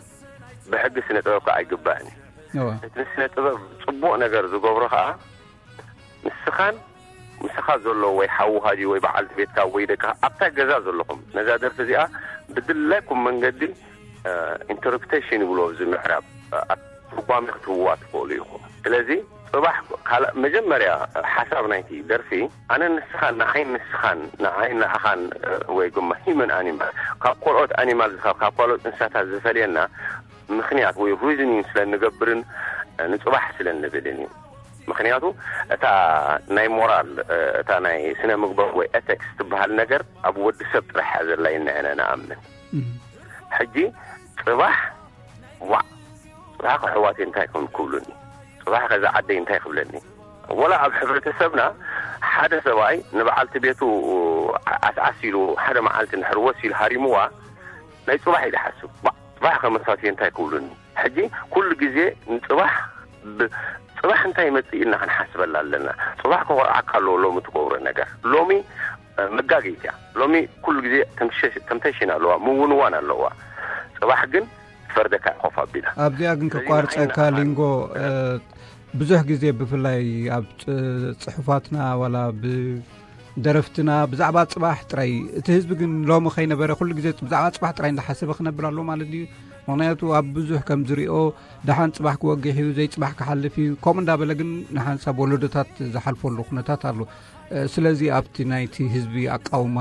ብሕጊ ስነ ጥበብ ከዓ ኣይግባእን እዩ። እቲ ስነ ጥበብ ጽቡቕ ነገር ዝገብሮ ከዓ ንስኻን ምሳኻ ዘሎ ወይ ሓውኻ ድዩ ወይ በዓልቲ ቤትካ ወይ ደቅኻ ኣብታ ገዛ ዘለኹም ነዛ ደርፊ እዚኣ ብድላይኩም መንገዲ ኢንተርፕሬቴሽን ይብሎ ኣብዚ ምዕራብ፣ እ፣ ኣብ ትርጓሜ ክትህብዋ ትኽእሉ ኢኹም። ስለዚ ጽባሕ ካልእ መጀመርያ ሓሳብ ናይቲ ደርፊ ኣነ ንስኻን ንዓይን ንስኻን ንዓይን ንዓኻን፣ እ፣ ወይ ድማ ሂመን ኣኒማል ካብ ካልኦት ኣኒማል ዝኸ-፣ ካብ ካልኦት እንስሳታት ዝፈልየና ምኽንያት ወይ ሪዝኒንግ ስለ እንገብርን፣ እ፣ ንጽባሕ ስለ እንብልን እዩ። ምኽንያቱ እታ ናይ ሞራል፣ እ፣ እታ ናይ ስነ ምግባር ወይ ኤቲክስ ትበሃል ነገር ኣብ ወዲ ሰብ ጥራሕ እያ ዘላ ኢና ንኣምን። ሕጂ ጽባሕ ዋዕ፣ ጽባሕ ከሕዋተይ እንታይ ከም ክብሉኒ፣ ጽባሕ ከዛ ዓደይ እንታይ ክብለኒ። ወላ ኣብ ሕብረተሰብና ሓደ ሰብኣይ ንበዓልቲ ቤቱ ኣስዓስ ኢሉ ሓደ መዓልቲ እንድሕር ወስ ኢሉ ሃሪምዋ ናይ ጽባሕ እዩ ዝሓስብ። ዋዕ፣ ጽባሕ ከመሳትዮ እንታይ ክብሉኒ። ሕጂ ኩሉ ግዜ ንጽባሕ ብ-፣ ጽባሕ እንታይ ይመጽእ ኢልና ክንሓስበላ ኣለና። ጽባሕ ከኾርዓካ ኣለዎ ሎሚ ትገብሮ ነገር። ሎሚ፣ እ፣ መጋገይት እያ። ሎሚ ኩሉ ግዜ ተምሸ-፣ ተምተሽን ኣለዋ፣ ምውንዋን ኣለዋ። ጽባሕ ግን ትፈርደካ እያ ኮፍ ኣቢላ። ኣብዚኣ ግን ስለዚ ከቋርጸካ ንዓይና ሊንጎ፣ እ፣ ብዙሕ ግዜ ብፍላይ ኣብ ጽ-፣ ጽሑፋትና ዋላ ብደረፍትና ብዛዕባ ጽባሕ ጥራይ፣ እቲ ህዝቢ ግን ሎሚ ከይነበረ ኩሉ ግዜ ብዛዕባ ጽባሕ ጥራይ እንዳሓሰበ ክነብር ኣለዎ ማለት ድዩ? ምኽንያቱ ኣብ ብዙሕ ከም ዝሪኦ ደሓን ጽባሕ ክወግሕ እዩ፣ ዘይጽባሕ ክሓልፍ እዩ፣ ከምኡ እንዳበለ ግን ንሓንሳብ ወለዶታት ዝሓልፈሉ ኩነታት ኣሎ። እ፣ ስለዚ ኣብቲ ናይቲ ህዝቢ ኣቃውማ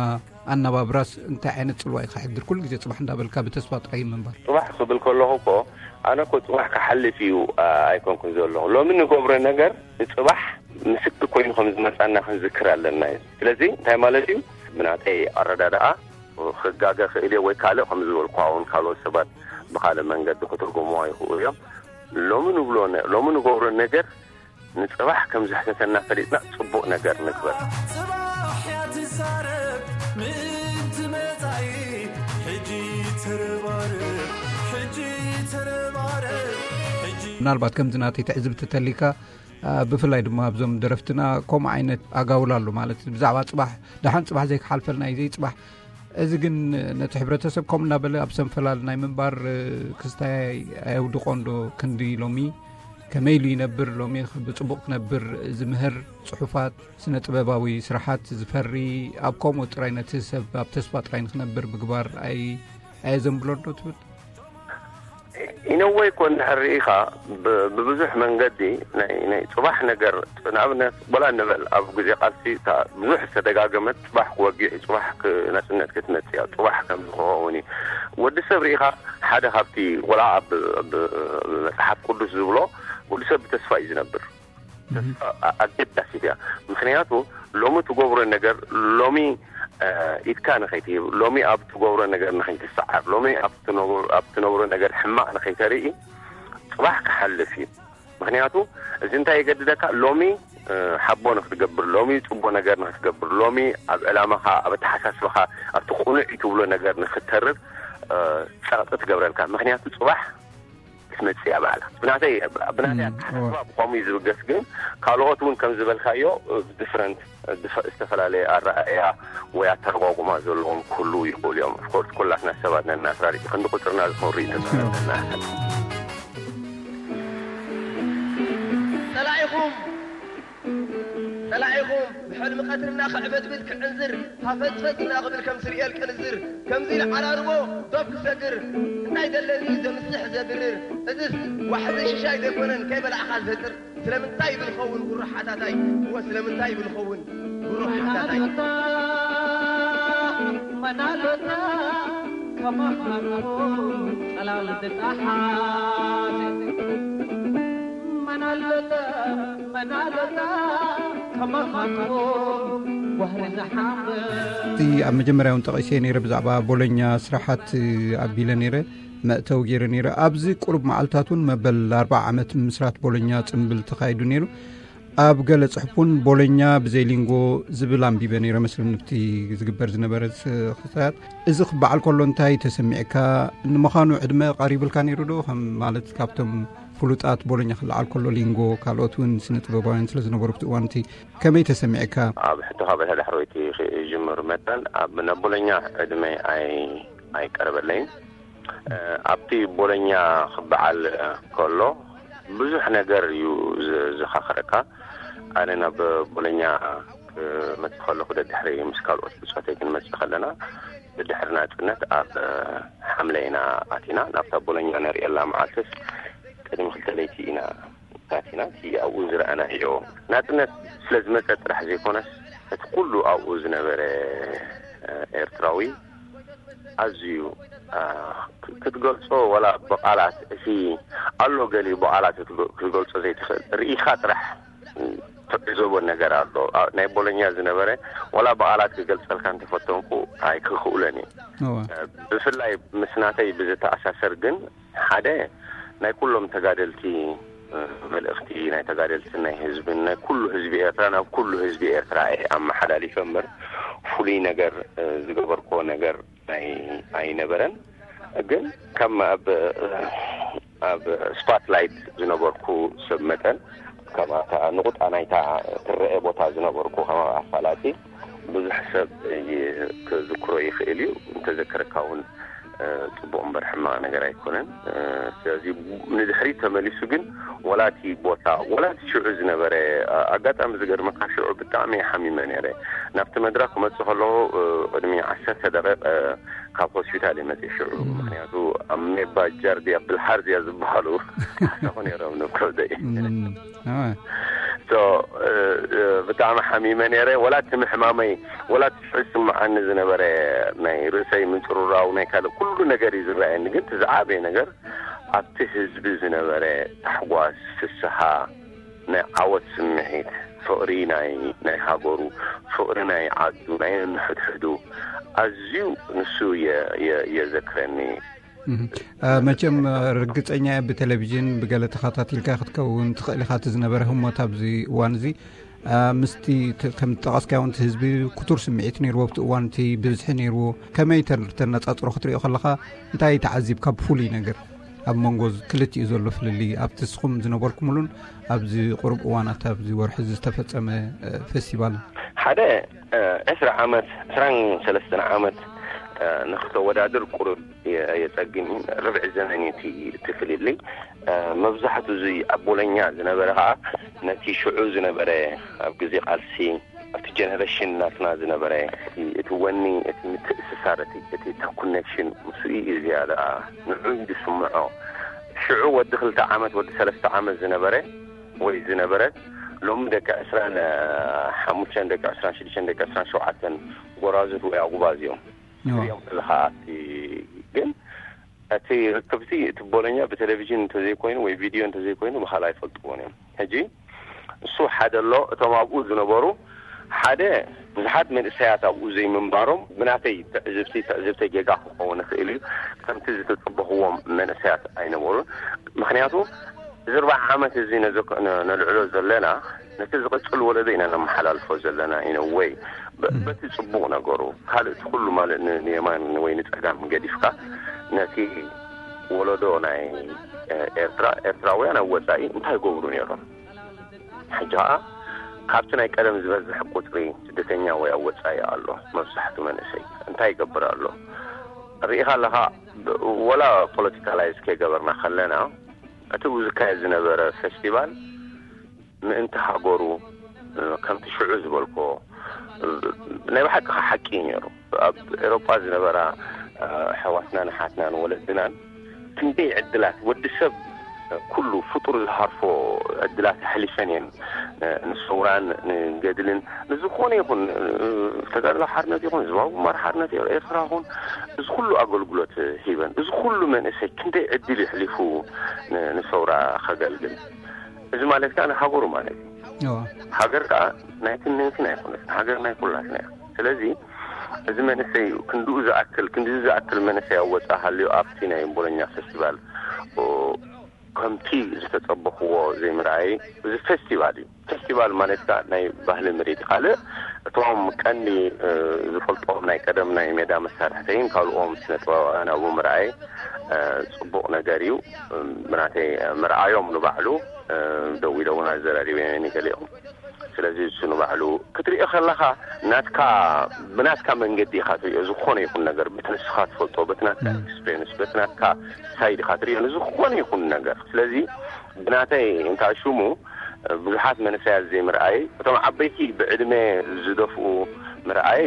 ኣነባብራስ እንታይ ዓይነት ጽልዋ እዩ ከሕድር? ኩሉ ግዜ ጽባሕ እንዳበልካ ብተስፋ ጥራይ ምንባር። ጽባሕ ክብል ከለኹ እኮ ኣነ እኮ ጽባሕ ክሓልፍ እዩ፣ ኣ-፣ ኣይኮንኩን ዘለኹ። ሎሚ ንገብሮ ነገር ንጽባሕ ምስክር ኮይኑ ከም ዝመጻና ክንዝክር ኣለና እዩ። ስለዚ እንታይ ማለት እዩ? ብናተይ ኣረዳድኣ ክጋገ ክእል እየ ወይ ካልእ ከም ዝበልኩ እውን ካልኦት ሰባት ብኻልእ መንገዲ ክትርጉምዎ ይኽእሉ እዮም። ሎሚ ንብሎ ነ-፣ ሎሚ ንገብሮ ነገር ንጽባሕ ከም ዝሕተተና ፈሊጥና ጽቡቕ ነገር ንግበር። ጽባሕ እያ ትዛረብ ምእንቲ መጻኢ፣ ሕጂ ተረባረብ፣ ሕጂ ተረባረብ፣ ሕጂ ምናልባት ከምዚ ናተይ ትዕዝብቲ ተሊካ፣ አ፣ ብፍላይ ድማ ኣብዞም ደረፍትና ከምኡ ዓይነት ኣጋውል ኣሎ ማለት ብዛዕባ ጽባሕ፣ ደሓን ጽባሕ ዘይክሓልፈልና እዩ ዘይጽባሕ። እዚ ግን ነቲ ሕብረተሰብ ከምኡ እናበለ ኣብ ሰንፈላል ናይ ምንባር፣ እ፣ ክስታይ ኣየውድቖን ዶ? ክንዲ ሎሚ ከመይ ኢሉ ይነብር? ሎሚ ኽ-፣ ብጽቡቕ ክነብር ዝምህር ጽሑፋት፣ ስነ ጥበባዊ ስራሓት ዝፈሪ፣ ኣብ ከምኡ ጥራይ ነቲ ሰብ ኣብ ተስፋ ጥራይ ንኽነብር ምግባር ኣይ-፣ ኣየዘንብሎን ዶ ትብል? ኢነወይ እኮ እንድሕር ርኢኻ ብ-፣ ብብዙሕ መንገዲ ናይ፣ ናይ ጽባሕ ነገር፣ ንኣብነት ወላ እንበል ኣብ ግዜ ቃልሲ እታ ብዙሕ ዝተደጋገመት ጽባሕ ክወግሕ እዩ፣ ጽባሕ ክ-፣ ናጽነት ክትመጽእ እያ፣ ጽባሕ ከምዚ ክኸውን እዩ። ወዲ ሰብ ርኢኻ ሓደ ካብቲ ወላ ኣብ፣ ኣብ፣ ኣብ መጽሓፍ ቅዱስ ዝብሎ ወዲ ሰብ ብተስፋ እዩ ዝነብር። ተስፋ ኣ-፣ ኣገዳሲት እያ። ምኽንያቱ ሎሚ ትገብሮ ነገር ሎሚ፣ እ፣ ኢድካ ንኸይትህብ፣ ሎሚ ኣብ ትገብሮ ነገር ንኸይትሰዓር፣ ሎሚ ኣብ ትነብሮ፣ ኣብ ትነብሮ ነገር ሕማቕ ንኸይተርኢ ጽባሕ ክሓልፍ እዩ። ምኽንያቱ እዚ እንታይ የገድደካ? ሎሚ፣ እ፣ ሓቦ ንኽትገብር፣ ሎሚ ጽቡቕ ነገር ንኽትገብር፣ ሎሚ ኣብ ዕላማኻ፣ ኣብ ኣተሓሳስባኻ፣ ኣብቲ ቅኑዕ እዩ ትብሎ ነገር ንኽትተርር፣ እ፣ ጸቕጢ ትገብረልካ። ምኽንያቱ ጽባሕ ክትመጽእ እያ ባዕላ። ብናተይ፣ ብናተይ እም፣ ኣተሓሳስባ እወ። ብኸምኡ እዩ ዝብገስ፣ ግን ካልኦት እውን ከም ዝበልካዮ፣ እ፣ ዲፍረንት፣ እ፣ ድፈ-፣ ዝተፈላለየ ኣረኣእያ ወይ ኣተረጓጉማ ዘለዎም ክህልዉ ይኽእሉ እዮም። ኦፍኮርስ፣ ኩላትና ሰባት ነና፣ ኣስራሪቂ ክንዲ ቁጽርና ዝኾን ርእይቶ እወ። ተሰነደና። ጸላኢኹም፣ ጸላኢኹም ብሕልሚ ቀትሪ እናኸዕበትብት ክዕንዝር፣ ሃፈጽፈጽ እናኽብል ከም ስርኤል ቅንዝር፣ ከምዚ ኢሉ ዓራርቦ ዶብ ክሰግር፣ እንታይ ደለኒ ዘምስሕ ዘድርር፣ እዝስ ዋሕዚ ሽሻይ ዘይኮነን ከይበላዕኻ ዝፈጥር፣ ስለምንታይ ይብል ኸውን ጉሩ ሓታታይ፣ እወ ስለምንታይ ይብል ኸውን ጉሩ ሓታታይ። መናሎታ፣ መናሎታ፣ ከማኻርኩም ጸላል ዝጠሓት። መናሎታ፣ መናሎታ፣ ከማኻርኩም ዋህሪ ዝሓምም። እቲ ኣብ መጀመርያ እውን ጠቒሰ ነይረ፣ ብዛዕባ ቦሎኛ ስራሓት ኣቢለ ነይረ፣ መእተዊ ገይረ ነይረ። ኣብዚ ቁሩብ መዓልታት እውን መበል ኣርብዓ ዓመት ምስራት ቦሎኛ ጽምብል ተኻይዱ ነይሩ። ኣብ ገለ ጽሑፍ እውን ቦሎኛ ብዘይ ሊንጎ ዝብል ኣንቢበ ነይረ መስለኒ፣ ኣብቲ ዝግበር ዝነበረ ስ-፣ ክስታያት። እዚ ክበዓል ከሎ እንታይ ተሰሚዕካ? ንምዃኑ ዕድመ ቀሪብልካ ነይሩ ዶ? ከም ማለት ካብቶም ፍሉጣት ቦሎኛ ክለዓል ከሎ ሊንጎ፣ ካልኦት እውን ስነ ጥበባውያን ስለ ዝነበሩ ኣብቲ እዋን እቲ ከመይ ተሰሚዕካ? ኣብ ሕቶኻ በታ ዳሕረወይቲ ክጅምር መጠን ኣብ፣ ናብ ቦሎኛ ዕድመይ ኣይ-፣ ኣይቀረበለይን። እ፣ ኣብቲ ቦሎኛ ክበዓል ከሎ ብዙሕ ነገር እዩ ዝ-፣ ዘኻኽረካ። ኣነ ናብ ቦሎኛ ክመጽእ ከለኹ ደድሕሪ ምስ ካልኦት ብጾተይ ክንመጽእ ከለና ድሕሪ ናጽነት ኣብ ሓምለ ኢና ኣቲና። ናብታ ቦሎኛ ንርእየላ መዓልትስ ቅድሚ ክልተ ለይቲ ኢና ኣቲና። እቲ ኣብኡ ዝረኣናዮ ናጽነት ስለ ዝመጸ ጥራሕ ዘይኮነስ፣ እቲ ኩሉ ኣብኡ ዝነበረ ኤርትራዊ ኣዝዩ ክትገልጾ፣ ዋላ ብቓላት፣ እቲ ኣሎ ገሊኡ ብቓላት ክትገልጾ ዘይትኽእል፣ ርኢኻ ጥራሕ ትዕዘቦ ነገር ኣሎ። ናይ ቦሎኛ ዝነበረ፣ ዋላ ብቓላት ክገልጸልካ እንተፈተንኩ ኣይክኽእለን እዩ። ብፍላይ ምስ ናተይ ብዝተኣሳሰር ግን፣ ሓደ ናይ ኩሎም ተጋደልቲ መልእኽቲ፣ ናይ ተጋደልትን ናይ ህዝብን፣ ናይ ኩሉ ህዝቢ ኤርትራ ናብ ኩሉ ህዝቢ ኤርትራ እየ ኣመሓላሊፈ እምበር፣ ፍሉይ ነገር ዝገበርኮ ነገር ኣይነበረን። ግን ከም ኣብ ኣብ ስፓትላይት ዝነበርኩ ሰብ መጠን፣ ከም ኣታ ንቑጣ ናይታ ትረአ ቦታ ዝነበርኩ ከም ኣፋላጢ፣ ብዙሕ ሰብ ክዝክሮ ይኽእል እዩ። እንተዘከረካ እውን ጽቡቕ እምበር ሕማቕ ነገር ኣይኮነን። ስለዚ ንድሕሪት ተመሊሱ ግን፣ ወላቲ ቦታ፣ ወላቲ ሽዑ ዝነበረ ኣጋጣሚ ዝገርመካ፣ ሽዑ ብጣዕሚ ሓሚመ ነይረ። ናብቲ መድረኽ ክመጽእ ከለኹ ቅድሚ ዓሰርተ ደቂቕ ካብ ሆስፒታል እየ መጽእ ሽዑ። ምክንያቱ ኣብ ሜባ ጃርዲያ ብልሓርዚያ ዝበሃሉ ሓሳኹ ነይሮም ንከብደይ። ብጣዕሚ ሓሚመ ነይረ። ወላ እቲ ምሕማመይ፣ ወላ እቲ ዝስምዓኒ ዝነበረ ናይ ርእሰይ ምንጽሩራው፣ ናይ ካልእ ኩሉ ነገር እዩ ዝረኣየኒ። ግን እቲ ዝዓበየ ነገር ኣብቲ ህዝቢ ዝነበረ ታሕጓስ፣ ፍስሃ፣ ናይ ዓወት ስምዒት፣ ፍቕሪ ናይ ናይ ሃገሩ፣ ፍቕሪ ናይ ዓዱ፣ ናይ ንሕድሕዱ፣ ኣዝዩ ንሱ የዘክረኒ። መቸም ርግጸኛ እየ፣ ብቴሌቪዥን ብገለ ተኸታቲልካ ክትከውን ትኽእል ኢኻ። እቲ ዝነበረ ህሞት ኣብዚ እዋን እዚ ምስቲ ከም ጠቐስካዮ፣ እቲ ህዝቢ ክቱር ስምዒት ነይርዎ ኣብቲ እዋን፣ እቲ ብዝሒ ነይርዎ። ከመይ ተነጻጽሮ ክትሪኦ ከለኻ፣ እንታይ ተዓዚብካ ብፍሉይ ነገር? ኣብ መንጎ ክልቲኡ ዘሎ ፍልልይ፣ ኣብቲ ንስኹም ዝነበርኩምሉን ኣብዚ ቁሩብ እዋናት ኣብዚ ወርሒ ዝተፈጸመ ፌስቲቫል? ሓደ ዕስራ ዓመት፣ ዕስራን ሰለስተን ዓመት ንክተወዳድር ቁሩብ የጸግም። ርብዒ ዘመን እቲ ፍልልይ። መብዛሕቱ እዚ ኣብ ቦሎኛ ዝነበረ ከዓ ነቲ ሽዑ ዝነበረ ኣብ ግዜ ቃልሲ ኣብቲ ጀነሬሽን ናትና ዝነበረ እቲ ወኒ፣ እቲ ምትእስሳር፣ እቲ ኮኔክሽን ምስኡ እዩ ዝያዳ ንዑ እዩ ዝስምዖ። ሽዑ ወዲ ክልተ ዓመት፣ ወዲ ሰለስተ ዓመት ዝነበረ ወይ ዝነበረት፣ ሎሚ ደቂ ዕስራን ሓሙሽተን፣ ደቂ ዕስራን ሽዱሽተን፣ ደቂ ዕስራን ሸውዓተን ጎራዙት ወይ ኣጉባዝ እዮም። ሪኦም ዘለካ ኣብቲ ግን እቲ ርክብቲ፣ እቲ ቦሎኛ ብቴሌቪዥን እንተዘይኮይኑ ወይ ቪድዮ እንተዘይኮይኑ ብካልእ ኣይፈልጥዎን እዮም። ሕጂ እሱ ሓደ ኣሎ። እቶም ኣብኡ ዝነበሩ ሓደ ብዙሓት መንእሰያት ኣብኡ ዘይምንባሮም ብናተይ ትዕዝብቲ፣ ትዕዝብተይ ጌጋ ክኸውን ይኽእል እዩ፣ ከምቲ ዝተጸበኽዎም መንእሰያት ኣይነበሩን። ምክንያቱ እዚ ኣርባዓ ዓመት እዚ ነልዕሎ ዘለና ነቲ ዝቕጽል ወለዶ ኢና ነመሓላልፎ ዘለና። ኢነ ወይ በቲ ጽቡቕ ነገሩ፣ ካልእ እቲ ኩሉ ማለት ንየማን ወይ ንጸጋም ገዲፍካ፣ ነቲ ወለዶ ናይ ኤርትራ፣ ኤርትራውያን ኣብ ወጻኢ እንታይ ይገብሩ ነይሮም? ሕጂ ከኣ ካብቲ ናይ ቀደም ዝበዝሕ ቁጽሪ ስደተኛ ወይ ኣብ ወጻኢ ኣሎ። መብዛሕቱ መንእሰይ እንታይ ይገብር ኣሎ? ርኢኻ ኣለኻ፣ ወላ ፖለቲካላይዝ ከይገበርና ከለና፣ እቲ ዝካየድ ዝነበረ ፌስቲቫል ምእንቲ ሃገሩ፣ ከምቲ ሽዑ ዝበልኮ፣ ናይ ብሓቂ ሓቂ እዩ ነይሩ። ኣብ ኤሮጳ ዝነበራ ኣሕዋትናን ኣሓትናን ወለድናን ክንደይ ዕድላት፣ ወዲ ሰብ ኩሉ ፍጡር ዝሃርፎ ዕድላት ኣሕሊፈን እየን። ንሰውራን ንገድልን ንዝኾነ ይኹን፣ ተጋድሎ ሓርነት ይኹን፣ ህዝባዊ ግንባር ሓርነት ኤርትራ ይኹን፣ እዚ ኩሉ ኣገልግሎት ሂበን፣ እዚ ኩሉ መንእሰይ ክንደይ ዕድል የሕሊፉ ንሰውራ ከገልግል። እዚ ማለት ከዓ ንሃገሩ ማለት እዩ። ሃገር ከዓ ናይትን ናይትን ኣይኮነትን፣ ሃገር ናይ ኩላትና እያ። ስለዚ እዚ መንእሰይ ክንድኡ ዝኣክል፣ ክንድኡ ዝኣክል መንእሰይ ኣብ ወፃእ ሃልዩ ኣብቲ ናይ ቦሎኛ ፌስቲቫል ከምቲ ዝተፀበኽዎ ዘይምርኣይ፣ እዚ ፌስቲቫል እዩ። ፌስቲቫል ማለት ከዓ ናይ ባህሊ ምርኢት። ካልእ እቶም ቀንዲ ዝፈልጦም ናይ ቀደም ናይ ሜዳ መሳርሕተይን ካልኦም ስነ ጥበባውያን ኣብኡ ምርኣይ ፅቡቕ ነገር እዩ። ብናተይ ምርኣዮም ንባዕሉ ደው ኢለ እውን ኣዘራሪበ ገሊኦም። ስለዚ እሱ ንባዕሉ ክትሪኦ ከለኻ ናትካ፣ ብናትካ መንገዲ ኢኻ ትሪኦ። ዝኾነ ይኹን ነገር በቲ ንስኻ ትፈልጦ፣ በቲ ናትካ ኤክስፔሪንስ፣ በቲ ናትካ ሳይድ ኢኻ ትሪኦ ንዝኾነ ይኹን ነገር። ስለዚ ብናተይ እንታይ ሽሙ ብዙሓት መንእሰያት ዘይምርኣይ፣ እቶም ዓበይቲ ብዕድመ ዝደፍኡ ምርኣይ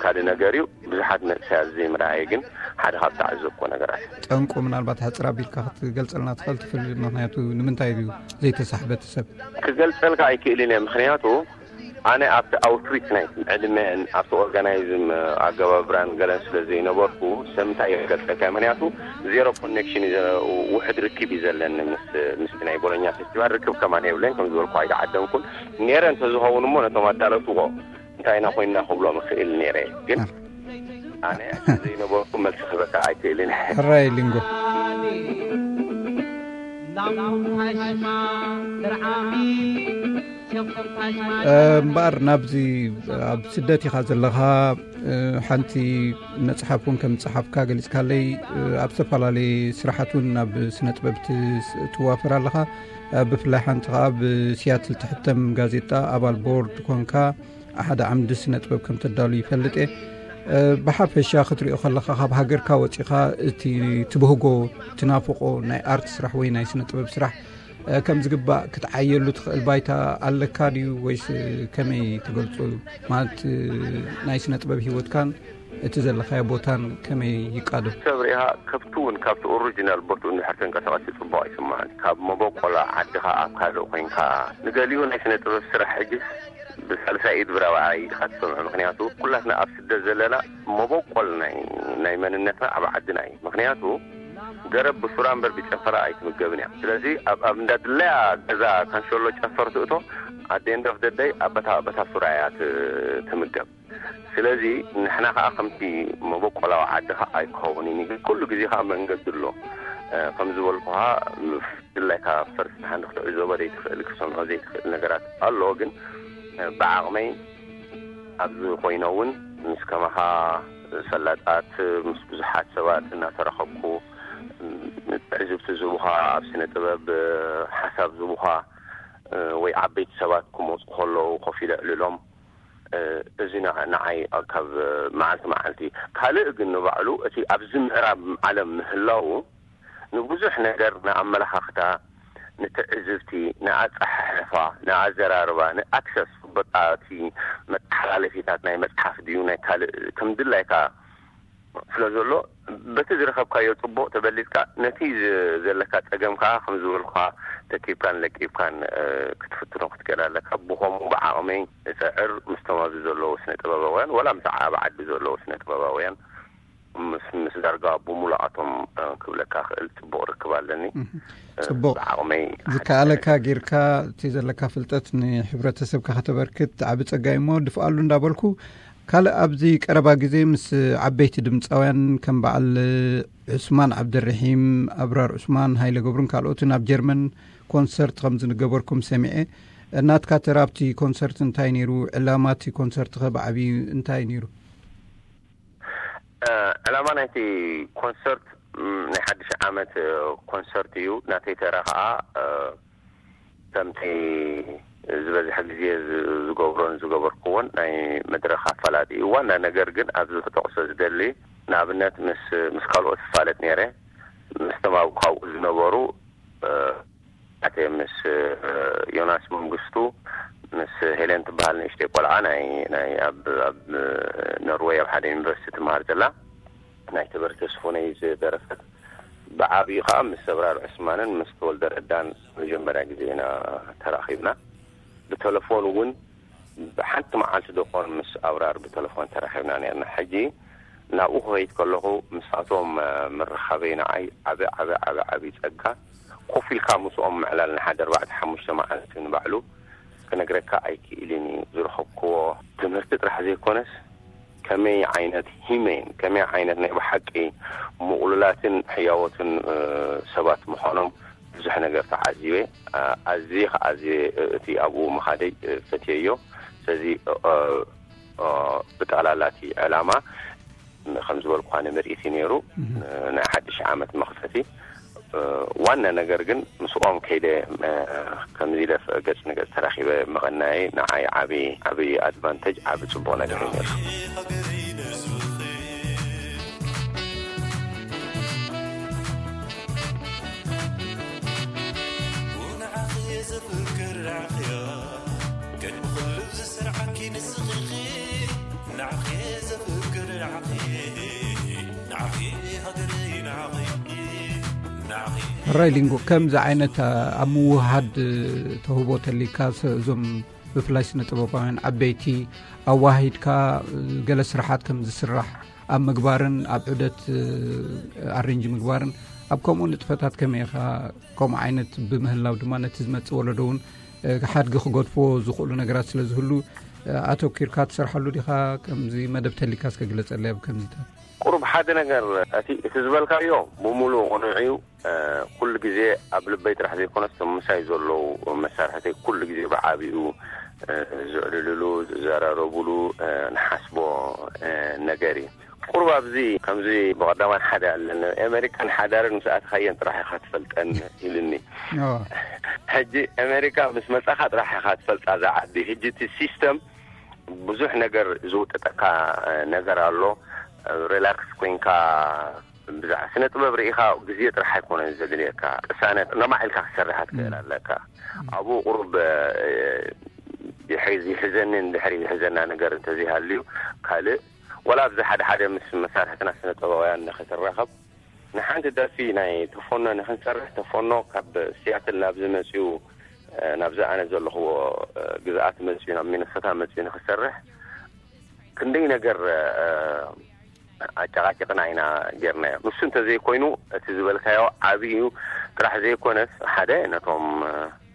ካልእ ነገር እዩ። ብዙሓት መንእሰያት ዘይምርኣይ ግን ሓደ ካብ ተዓዘብኩዎ ነገራት። ጠንቁ ምናልባት ሕፅር ኣቢልካ ክትገልፀልና ትኽእል ትፍል? ምክንያቱ ንምንታይ እዩ ዘይተሳሕበ እቲ ሰብ? ክገልፀልካ ኣይክእልን እየ። ምክንያቱ ኣነ ኣብቲ ኣውትሪች ናይ ዕድመን ኣብቲ ኦርጋናይዝም ኣገባብራን ገለን ስለ ዘይነበርኩ፣ ሰምንታይ እየ ክገልፀልካ? ምክንያቱ ዜሮ ኮኔክሽን እዩ ዘ-፣ ውሕድ ርክብ እዩ ዘለኒ ምስ፣ ምስ ናይ ቦሎኛ ፌስቲቫል ርክብ ከማን የብለይን። ከም ዝበልኩ ኣይተዓደምኩን። ነይረ እንተዝኸውን እሞ ነቶም ኣዳለውትዎ እንታይ ኢና ኮይንና ክብሎም እኽእል ነይረ። ግን ኣር- ኣነ ዘይነበርኩ መልሲ ክህበካ ኣይክእልን። ሕራይ ሊንጎ። እምበኣር ናብዚ ኣብ ስደት ኢኻ ዘለኻ፣ ሓንቲ መጽሓፍ እውን ከም ዝጸሓፍካ ገሊጽካለይ። ኣብ ዝተፈላለየ ስራሓት እውን ናብ ስነ ጥበብ ትስ-፣ ትዋፈር ኣለኻ። ብፍላይ ሓንቲ ኸኣ ብሲያትል ትሕተም ጋዜጣ ኣባል ቦርድ ኮንካ ሓደ ዓምዲ ስነ ጥበብ ከም ተዳሉ ይፈልጥ እየ። ብሓፈሻ ክትሪኦ ከለኻ ካብ ሃገርካ ወጺኻ እቲ ትብህጎ ትናፍቆ ናይ ኣርት ስራሕ ወይ ናይ ስነ ጥበብ ስራሕ ከም ዝግባእ ክትዓየሉ ትኽእል ባይታ ኣለካ ድዩ ወይስ ከመይ ትገልጾ? ማለት ናይ ስነ ጥበብ ህይወትካን እቲ ዘለኻዮ ቦታን ከመይ ይቃዶ? ሰብ ርኢኻ ከብቲ እውን ካብቲ ኦሪጂናል ቦትኡ እንድሕር ተንቀሳቐሲ ጽቡቕ ኣይስምዓን። ካብ መበቆላ ዓድኻ ኣብ ካልእ ኮይንካ ንገሊኡ ናይ ስነ ጥበብ ስራሕ ሕጂ ብሳልሳይ ኢድ ብራብዓይ ኢኻ ትሰምዖ። ምክንያቱ ኩላትና ኣብ ስደት ዘለና መበቆል ናይ፣ ናይ መንነትና ኣብ ዓድና እዩ። ምክንያቱ ገረብ ብሱራ እምበር ብጨፈራ ኣይትምገብን እያ። ስለዚ ኣብ፣ ኣብ እንዳ ድለያ ገዛ ካንሸሎ ጨፈር ትእቶ፣ ኣደንደፍ ደደይ ኣበታ፣ ኣበታ ሱራ እያ ት-፣ ትምገብ። ስለዚ ንሕና ከኣ ከምቲ መበቆላዊ ዓዲ ከኣ ኣይከውን እዩ። ግን ኩሉ ግዜ ከኣ መንገዲ ኣሎ። እ፣ ከም ዝበልኩኻ፣ ድላይካ ፈርስት ሃንድ ክትዕዘቦ ዘይትኽእል፣ ክትሰምዖ ዘይትኽእል ነገራት ኣሎ። ግን፣ እ፣ ብዓቕመይ ኣብዚ ኮይነ እውን ምስ ከማኻ ፈላጣት፣ ምስ ብዙሓት ሰባት እናተራኸብኩ፣ እ፣ ትዕዝብቲ ዝህቡኻ፣ ኣብ ስነ ጥበብ፣ እ፣ ሓሳብ ዝህቡኻ፣ እ፣ ወይ ዓበይቲ ሰባት ክመጹ ከለዉ ኮፍ ኢለ ዕልሎም። እ፣ እዚ ንዓ-፣ ንዓይ ካብ መዓልቲ መዓልቲ። ካልእ ግን ንባዕሉ እቲ ኣብዚ ምዕራብ ዓለም ምህላዉ ንብዙሕ ነገር፣ ንኣመለኻኽታ፣ ንትዕዝብቲ፣ ንኣጸሓሕፋ፣ ንኣዘራርባ፣ ንኣክሰስ፣ በቃ እቲ መተሓላለፊታት ናይ መጽሓፍ ድዩ ናይ ካልእ ከም ድላይካ ስለ ዘሎ፣ በቲ ዝረኸብካዮ ጽቡቕ ተበሊጽካ፣ ነቲ ዝ-፣ ዘለካ ጸገም ከኣ ከም ዝበልኩኻ ተኪብካን ለቂብካን፣ እ፣ ክትፍትኖ ክትክእል ኣለካ። ብኸምኡ ብዓቕመይ እጽዕር፣ ምስቶም ኣብዚ ዘለዉ ስነ ጥበባውያን፣ ወላ ምስ ኣብ ዓዲ ዘለዉ ስነ ጥበባውያን፣ ምስ፣ ምስ ዳርጋ ብምሉኣቶም፣ እ፣ ክብለካ ክእል ጽቡቕ ርክብ ኣለኒ። እህ፣ እ፣ ጽቡቕ። ብዓቕመይ ዝከኣለካ ጌርካ እቲ ዘለካ ፍልጠት ንሕብረተሰብካ ከተበርክት ዓቢ ጸጋ እዩ እሞ ድፍኣሉ እንዳበልኩ፣ ካልእ ኣብዚ ቀረባ ግዜ ምስ ዓበይቲ ድምጻውያን ከም በዓል ዑስማን ዓብደርሒም፣ ኣብራር ዑስማን፣ ሃይለ ገብሩን ካልኦትን ኣብ ጀርመን ኮንሰርት ከም ዝገበርኩም ሰሚዐ። ናትካ ተራ ኣብቲ ኮንሰርት እንታይ ነይሩ? ዕላማ እቲ ኮንሰርት ከ ብዓብዩ እንታይ ነይሩ? እ፣ ዕላማ ናይቲ ኮንሰርት፣ ም፣ ናይ ሓድሽ ዓመት፣ እ፣ ኮንሰርት እዩ። ናተይ ተራ ከኣ፣ እ፣ ከምቲ ዝበዝሐ ግዜ ዝ-፣ ዝገብሮን ዝገበርኩዎን ናይ መድረኽ ኣፋላጢ እዩ። ዋና ነገር ግን ኣብዚ ክጠቕሶ ዝደሊ፣ ንኣብነት ምስ፣ ምስ ካልኦት እፋለጥ ነይረ፣ ምስቶም ኣብ ካብኡ ዝነበሩ፣ እ፣ ኣተ ምስ፣ እ፣ ዮናስ መንግስቱ፣ ምስ ሄለን ትበሃል ንእሽተይ ቆልዓ ናይ፣ ናይ ኣብ፣ ኣብ ኖርወይ ኣብ ሓደ ዩኒቨርሲቲ ትመሃር ዘላ፣ ናይ ተበረ ተስፉነይ ዝደረፈት፣ ብዓብዩ ከኣ ምስ ኣብራር ዑስማንን ምስ ተወልደ ረዳን መጀመርያ ግዜ ኢና ተራኺብና። ብተለፎን እውን ብሓንቲ መዓልቲ ዶ ኮን ምስ ኣብራር ብተለፎን ተራኺብና ነርና። ሕጂ ናብኡ ክኸይድ ከለኹ ምሳቶም፣ እ፣ ምርኻበይ ንዓይ ዓቢ፣ ዓቢ፣ ዓቢ፣ ዓቢ ጸጋ። ኮፍ ኢልካ ምስኦም ምዕላል ንሓደ ኣርባዕተ ሓሙሽተ መዓልቲ ንባዕሉ ክነግረካ ኣይክእልን እዩ። ዝረኸብክዎ ትምህርቲ ጥራሕ ዘይኮነስ፣ ከመይ ዓይነት ሂመን፣ ከመይ ዓይነት ናይ ብሓቂ ምቕሉላትን ሕያዎትን፣ እ፣ ሰባት ምዃኖም ብዙሕ ነገር ተዓዚበ። እ፣ ኣዝየ ከኣ ኣዝየ፣ እ፣ እቲ ኣብኡ ምኻደይ፣ እ፣ ፈትየዮ። ስለዚ፣ እ፣ እ፣ ብጠቕላላ እቲ ዕላማ ከም ዝበልኳ ንምርኢት እዩ ነይሩ፣ እህ። እ፣ ናይ ሓድሽ ዓመት መኽፈቲ። እ፣ ዋና ነገር ግን ምስኦም ከይደ፣ እ፣ ከምዚ ኢለ ገጽ ንገጽ ተራኺበ ምቕናየይ ንዓይ ዓቢ፣ ዓቢ ኣድቫንቴጅ፣ ዓቢ ጽቡቕ ነገር እዩ ነይሩ። ሕራይ ሊንጎ፣ ከምዚ ዓይነት ኣብ ምውሃድ ተውህቦ ተሊካ፣ እዞም ብፍላይ ስነ ጥበባውያን ዓበይቲ ኣዋሂድካ ገለ ስራሓት ከም ዝስራሕ ኣብ ምግባርን ኣብ ዑደት ኣሬንጅ ምግባርን ኣብ ከምኡ ንጥፈታት ከመይ ኢኻ? ከምኡ ዓይነት ብምህላው ድማ ነቲ ዝመጽእ ወለዶ እውን ሓድጊ ክገድፎ ዝኽእሉ ነገራት ስለ ዝህሉ ኣተኪርካ ትሰርሓሉ ዲኻ? ከምዚ መደብ ተሊካ እስከ ግለጸለይ ኣብ ከምዚታት። ቁሩብ ሓደ ነገር፣ እቲ እቲ ዝበልካዮ ብምሉእ ቅኑዕ እዩ። ኩሉ ግዜ ኣብ ልበይ ጥራሕ ዘይኮነስ፣ እቶም ምሳይ ዘለዉ መሳርሕተይ ኩሉ ግዜ ብዓቢኡ ዝዕልልሉ፣ ዝዘራረቡሉ፣ ንሓስቦ ነገር እዩ። ቁሩብ ኣብዚ ከምዚ ብቐዳማይ ሓደ ኣለኒ፣ ኣሜሪካን ሓዳርን ምስ ኣትኻየን ጥራሕ ኢኻ ትፈልጠን ኢሉኒ። ሕጂ ኣሜሪካ ምስ መጻኻ ጥራሕ ኢኻ ትፈልጣ እዛ ዓዲ። ሕጂ እቲ ሲስተም ብዙሕ ነገር ዝውጥጠካ ነገር ኣሎ። ሪላክስ ኮይንካ ብዛዕባ ስነ ጥበብ ርኢኻ ግዜ ጥራሕ ኣይኮነን ዘድልየካ። ቅሳነት ነማዕ ኢልካ ክትሰርሕ ትክእል ኣለካ። ኣብኡ ቁሩብ ይሕዝ-፣ ይሕዘንን ድሕሪ ይሕዘና ነገር እንተዘይሃልዩ፣ ካልእ ወላ ኣብዚ ሓደ ሓደ ምስ መሳርሕትና ስነ ጥበባውያን ንክትራኸብ፣ ንሓንቲ ደርፊ ናይ ተፎኖ ንክንሰርሕ፣ ተፎኖ ካብ ሲያትል ናብዚ መፅዩ፣ ናብዚ ኣነ ዘለኽዎ ግዝኣት መፅዩ፣ ናብ ሚነሶታ መፅዩ ንክሰርሕ ክንደይ ነገር ኣጨቃጭቅና ኢና ጌርናዮ። ንሱ እንተዘይኮይኑ፣ እቲ ዝበልካዮ ዓብዪ እዩ ጥራሕ ዘይኮነስ፣ ሓደ ነቶም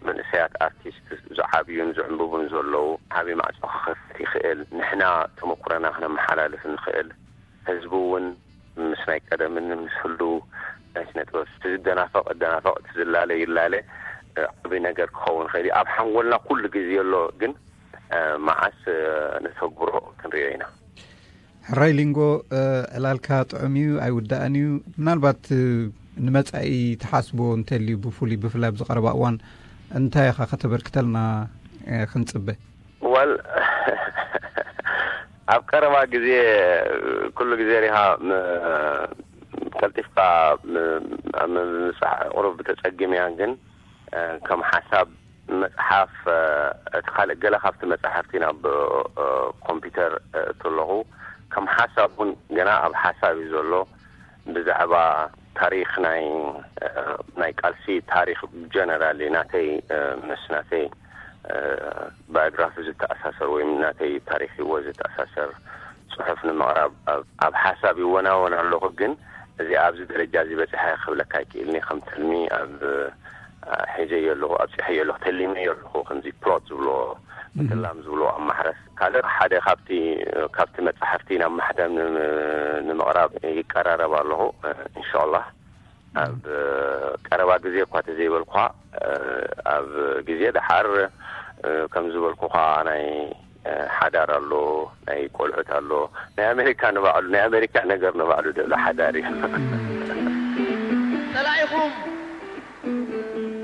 መንእሰያት ኣርቲስት ዝዓብዩን ዝዕንብቡን ዘለዉ ዓብዪ ማዕጾ ክኸፍት ይኽእል። ንሕና ተመኩረና ክነመሓላልፍ ንኽእል። ህዝቢ እውን ምስ ናይ ቀደምን ምስ ህልው ናይ ስነ ጥበብ፣ እቲ ዝደናፈቕ እደናፈቕ፣ እቲ ዝላለ ይላለ፣ ዓብዪ ነገር ክኸውን ይኽእል እዩ። ኣብ ሓንጎልና ኩሉ ግዜ ኣሎ፣ ግን መዓስ ነተግብሮ ክንሪኦ ኢና። ሕራይ ሊንጎ፣ ዕላልካ ጥዑም እዩ፣ ኣይውዳእን እዩ። ምናልባት ንመጻኢ ትሓስቦ እንተልዩ፣ ብፍሉይ ብፍላይ ኣብዚ ቀረባ እዋን እንታይ ኢኻ ከተበርክተልና ክንጽበ? ዋል ኣብ ቀረባ ግዜ፣ ኩሉ ግዜ ሪኻ ም-፣ ቀልጢፍካ ም-፣ ኣብ ምብጻሕ ቁሩብ ተጸጊም እያ፣ ግን ከም ሓሳብ መጽሓፍ፣ እቲ ካልእ ገለ ካብቲ መጻሕፍቲ ናብ ኮምፒውተር እእቱ ኣለኹ። ከም ሓሳብ እውን ገና ኣብ ሓሳብ እዩ ዘሎ። ብዛዕባ ታሪኽ ናይ፣ ናይ ቃልሲ ታሪኽ ጀነራሊ ናተይ፣ ምስ ናተይ ባዮግራፊ ዝተኣሳሰር ወይ ናተይ ታሪኽ ህይወት ዝተኣሳሰር ጽሑፍ ንምቕራብ ኣብ፣ ኣብ ሓሳብ ይወናወን ኣለኹ። ግን እዚ ኣብዚ ደረጃ እዚ በጺሐ ክብለካ ኣይክእልኒ። ከም ትልሚ ኣብ ሒዘዮ ኣለኹ፣ ኣብጺሐዮ ኣለኹ፣ ተሊመዮ ኣለኹ። ከምዚ ፕሎት ዝብሎ ምትላም ዝብሎ ኣብ ማሕረስ። ካልእ ሓደ ካብቲ፣ ካብቲ መጻሕፍቲ ናብ ማሕተም ንም-፣ ንምቕራብ ይቀራረብ ኣለኹ። እንሻላህ ኣብ ቀረባ ግዜ እኳ ተዘይበልኩኻ፣ ኣብ ግዜ ደሓር ከም ዝበልኩኻ ናይ ሓዳር ኣሎ፣ ናይ ቆልዑት ኣሎ። ናይ ኣሜሪካ ንባዕሉ፣ ናይ ኣሜሪካ ነገር ንባዕሉ ደሎ ሓዳር እዩ። ጸላኢኹም፣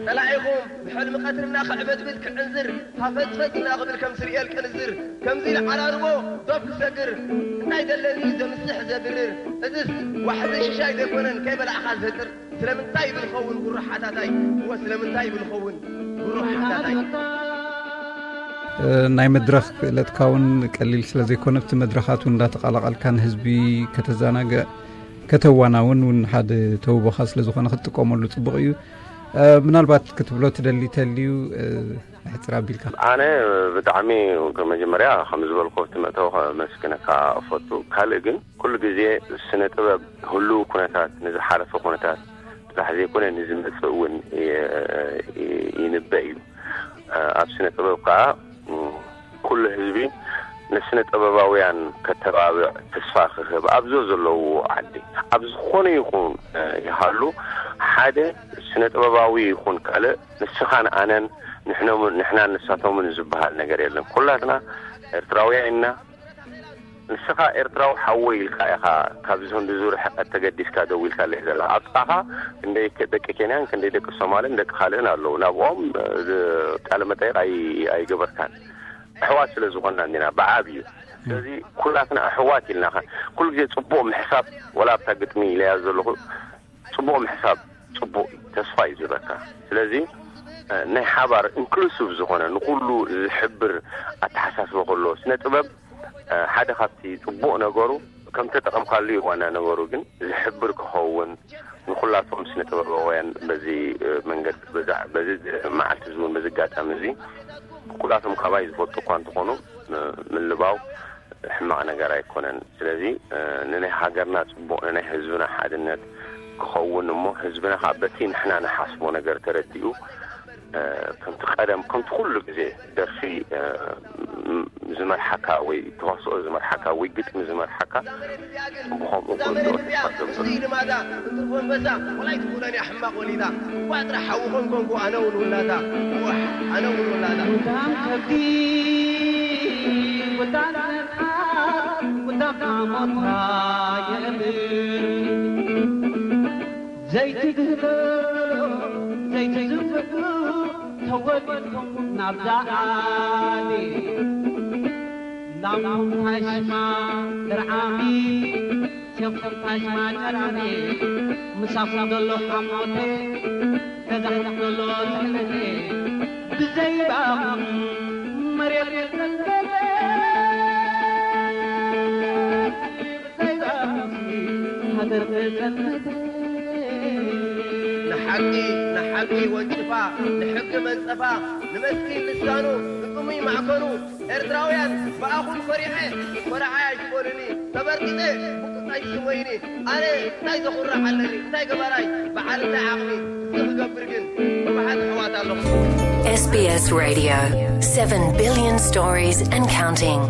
ጸላኢኹም ብሕልሚ ቀትሪ እናኸዕበድብድ ክዕንዝር፣ ሃፈጽፈጽ እናኽብል ከም ስርኤል ቅንዝር፣ ከምዚ ኢሉ ዓራርቦ ዶብ ክሰግር፣ እንታይ ደለኒ ዘምስሕ ዘብርር፣ እዝስ ዋሕዚ ሽሻይ ዘይኮነን ከይበላዕኻ ዘጥር፣ ስለምንታይ ብልኸውን ጉሩሕ ሓታታይ፣ እወ ስለምንታይ ብልኸውን ጉሩሕ ሓታታይ። ናይ መድረኽ ክእለትካ እውን ቀሊል ስለ ዘይኮነ፣ ኣብቲ መድረኻት እውን እንዳተቐላቐልካ ንህዝቢ ከተዘናግዕ፣ ከተዋናውን እውን ሓደ ተውቦኻ ስለ ዝኾነ ክትጥቀመሉ ጽቡቕ እዩ። ምናልባት ክትብሎ ትደሊ ተልዩ፣ ንሕጽር ኣቢልካ። ኣነ ብጣዕሚ መጀመርያ ከም ዝበልኩ ኣብቲ መእተዊ ከመስግነካ እፈቱ። ካልእ ግን ኩሉ ግዜ ስነ ጥበብ ህሉው ኩነታት፣ ንዝሓለፈ ኩነታት ጥራሕ ዘይኮነ ንዝመጽእ እውን ይ-፣ ይ-፣ ይንበእ እዩ። ኣብ ስነ ጥበብ ከኣ ኩሉ ህዝቢ ንስነ ጥበባውያን ከተባብዕ፣ ተስፋ ክህብ፣ ኣብዞ ዘለውዎ ዓዲ ኣብ ዝኾነ ይኹን ይሃሉ ሓደ ስነ ጥበባዊ ይኹን ካልእ ንስኻን ኣነን ንሕኖምን ንሕናን ንሳቶምን ዝበሃል ነገር የለን። ኩላትና ኤርትራውያን ኢና። ንስኻ ኤርትራዊ ሓወይ ኢልካ ኢኻ ካብዚ ክንዲ ዙር ሕቀት ተገዲስካ ደው ኢልካለይ ዘለኻ። ኣብ ጥቓኻ ክንደይ ከ-፣ ደቂ ኬንያን ክንደይ ደቂ ሶማልን ደቂ ካልእን ኣለዉ። ናብኦም፣ እ፣ ቃለ መጠይቕ ኣይ-፣ ኣይገበርካን። ኣሕዋት ስለ ዝኾንና እንዲና ብዓብዩ። ስለዚ ኩላትና ኣሕዋት ኢልና ኸ-፣ ኩሉ ግዜ ጽቡቕ ምሕሳብ፣ ወላ ኣብታ ግጥሚ ኢለያ ዘለኹ፣ ጽቡቕ ምሕሳብ ጽቡቕ እዩ፣ ተስፋ እዩ ዝህበካ። ስለዚ፣ እ፣ ናይ ሓባር ኢንክሉሲቭ ዝኾነ ንኹሉ ዝሕብር ኣተሓሳስባ ከሎ ስነ ጥበብ፣ እ፣ ሓደ ካብቲ ጽቡቕ ነገሩ ከም ተጠቐምካሉ እዩ ዋና ነገሩ። ግን ዝሕብር ክኸውን ንኩላቶም ስነ ጥበባውያን በዚ መንገዲ በዚ መዓልቲ እዚ እውን በዚ ኣጋጣሚ እዚ ኩላቶም ካባይ ዝፈልጡ እኳ እንተኾኑ ምልባው ሕማቕ ነገር ኣይኮነን። ስለዚ ንናይ ሃገርና ፅቡቕ ንናይ ህዝብና ሓድነት ክኸውን እሞ ህዝብና ከዓ በቲ ንሕና ንሓስቦ ነገር ተረዲኡ ከምቲ ቀደም ከምቲ ኩሉ ግዜ ደርፊ ዝመርሓካ ወይ ተዋስኦ ዝመርሓካ ወይ ግጥሚ ዝመርሓካ ብኸምኡ ክእልዮ ተስፋ ገብር። ልማዳ እንትርፎ ኣንበሳ ወላይ ትኽእሎን እያ ሕማቕ ወሊዳ። እኳ ጥራሕ ሓውኾም ኮንኩ ኣነ እውን ውላዳ። ዋሕ ኣነ እውን ውላዳ። ጉዳም ከብዲ ጉዳም ነፍሓት ጉዳም ሓሞትካ የእምን ዘይትግህሎ ዘይትዝፍዱ ተወሊድኩም ናብዛ ዓዲ ላምኩም ታሽማ ድርዓሚ ሴፍኩም ታሽማ ጨራሚ ምሳኹም ዘሎ ሓሞቴ ገዛሕኩም ዘሎ ትሕነቴ ብዘይባኹም መሬት የጸንተለ ብዘይባኹም ሃገር ተጸንተለ ንሓቂ ንሓቂ ወንጭፋ ንሕጊ መንጸፋ ንመስኪን ልሳኑ ንጥሙይ ማዕከኑ ኤርትራውያን ብኣኹም ኮሪዐ ኮረዓያ ጅቦልኒ ተበርቂጸ ብቁጣይ ስሞይኒ ኣነ እንታይ ዘኹርዕ ኣለኒ እንታይ ገባራይ በዓል እንታይ ዓቕሚ እዚ ክገብር ግን ብብሓት ኣሕዋት ኣለኹ። S B S Radio, seven billion stories and counting.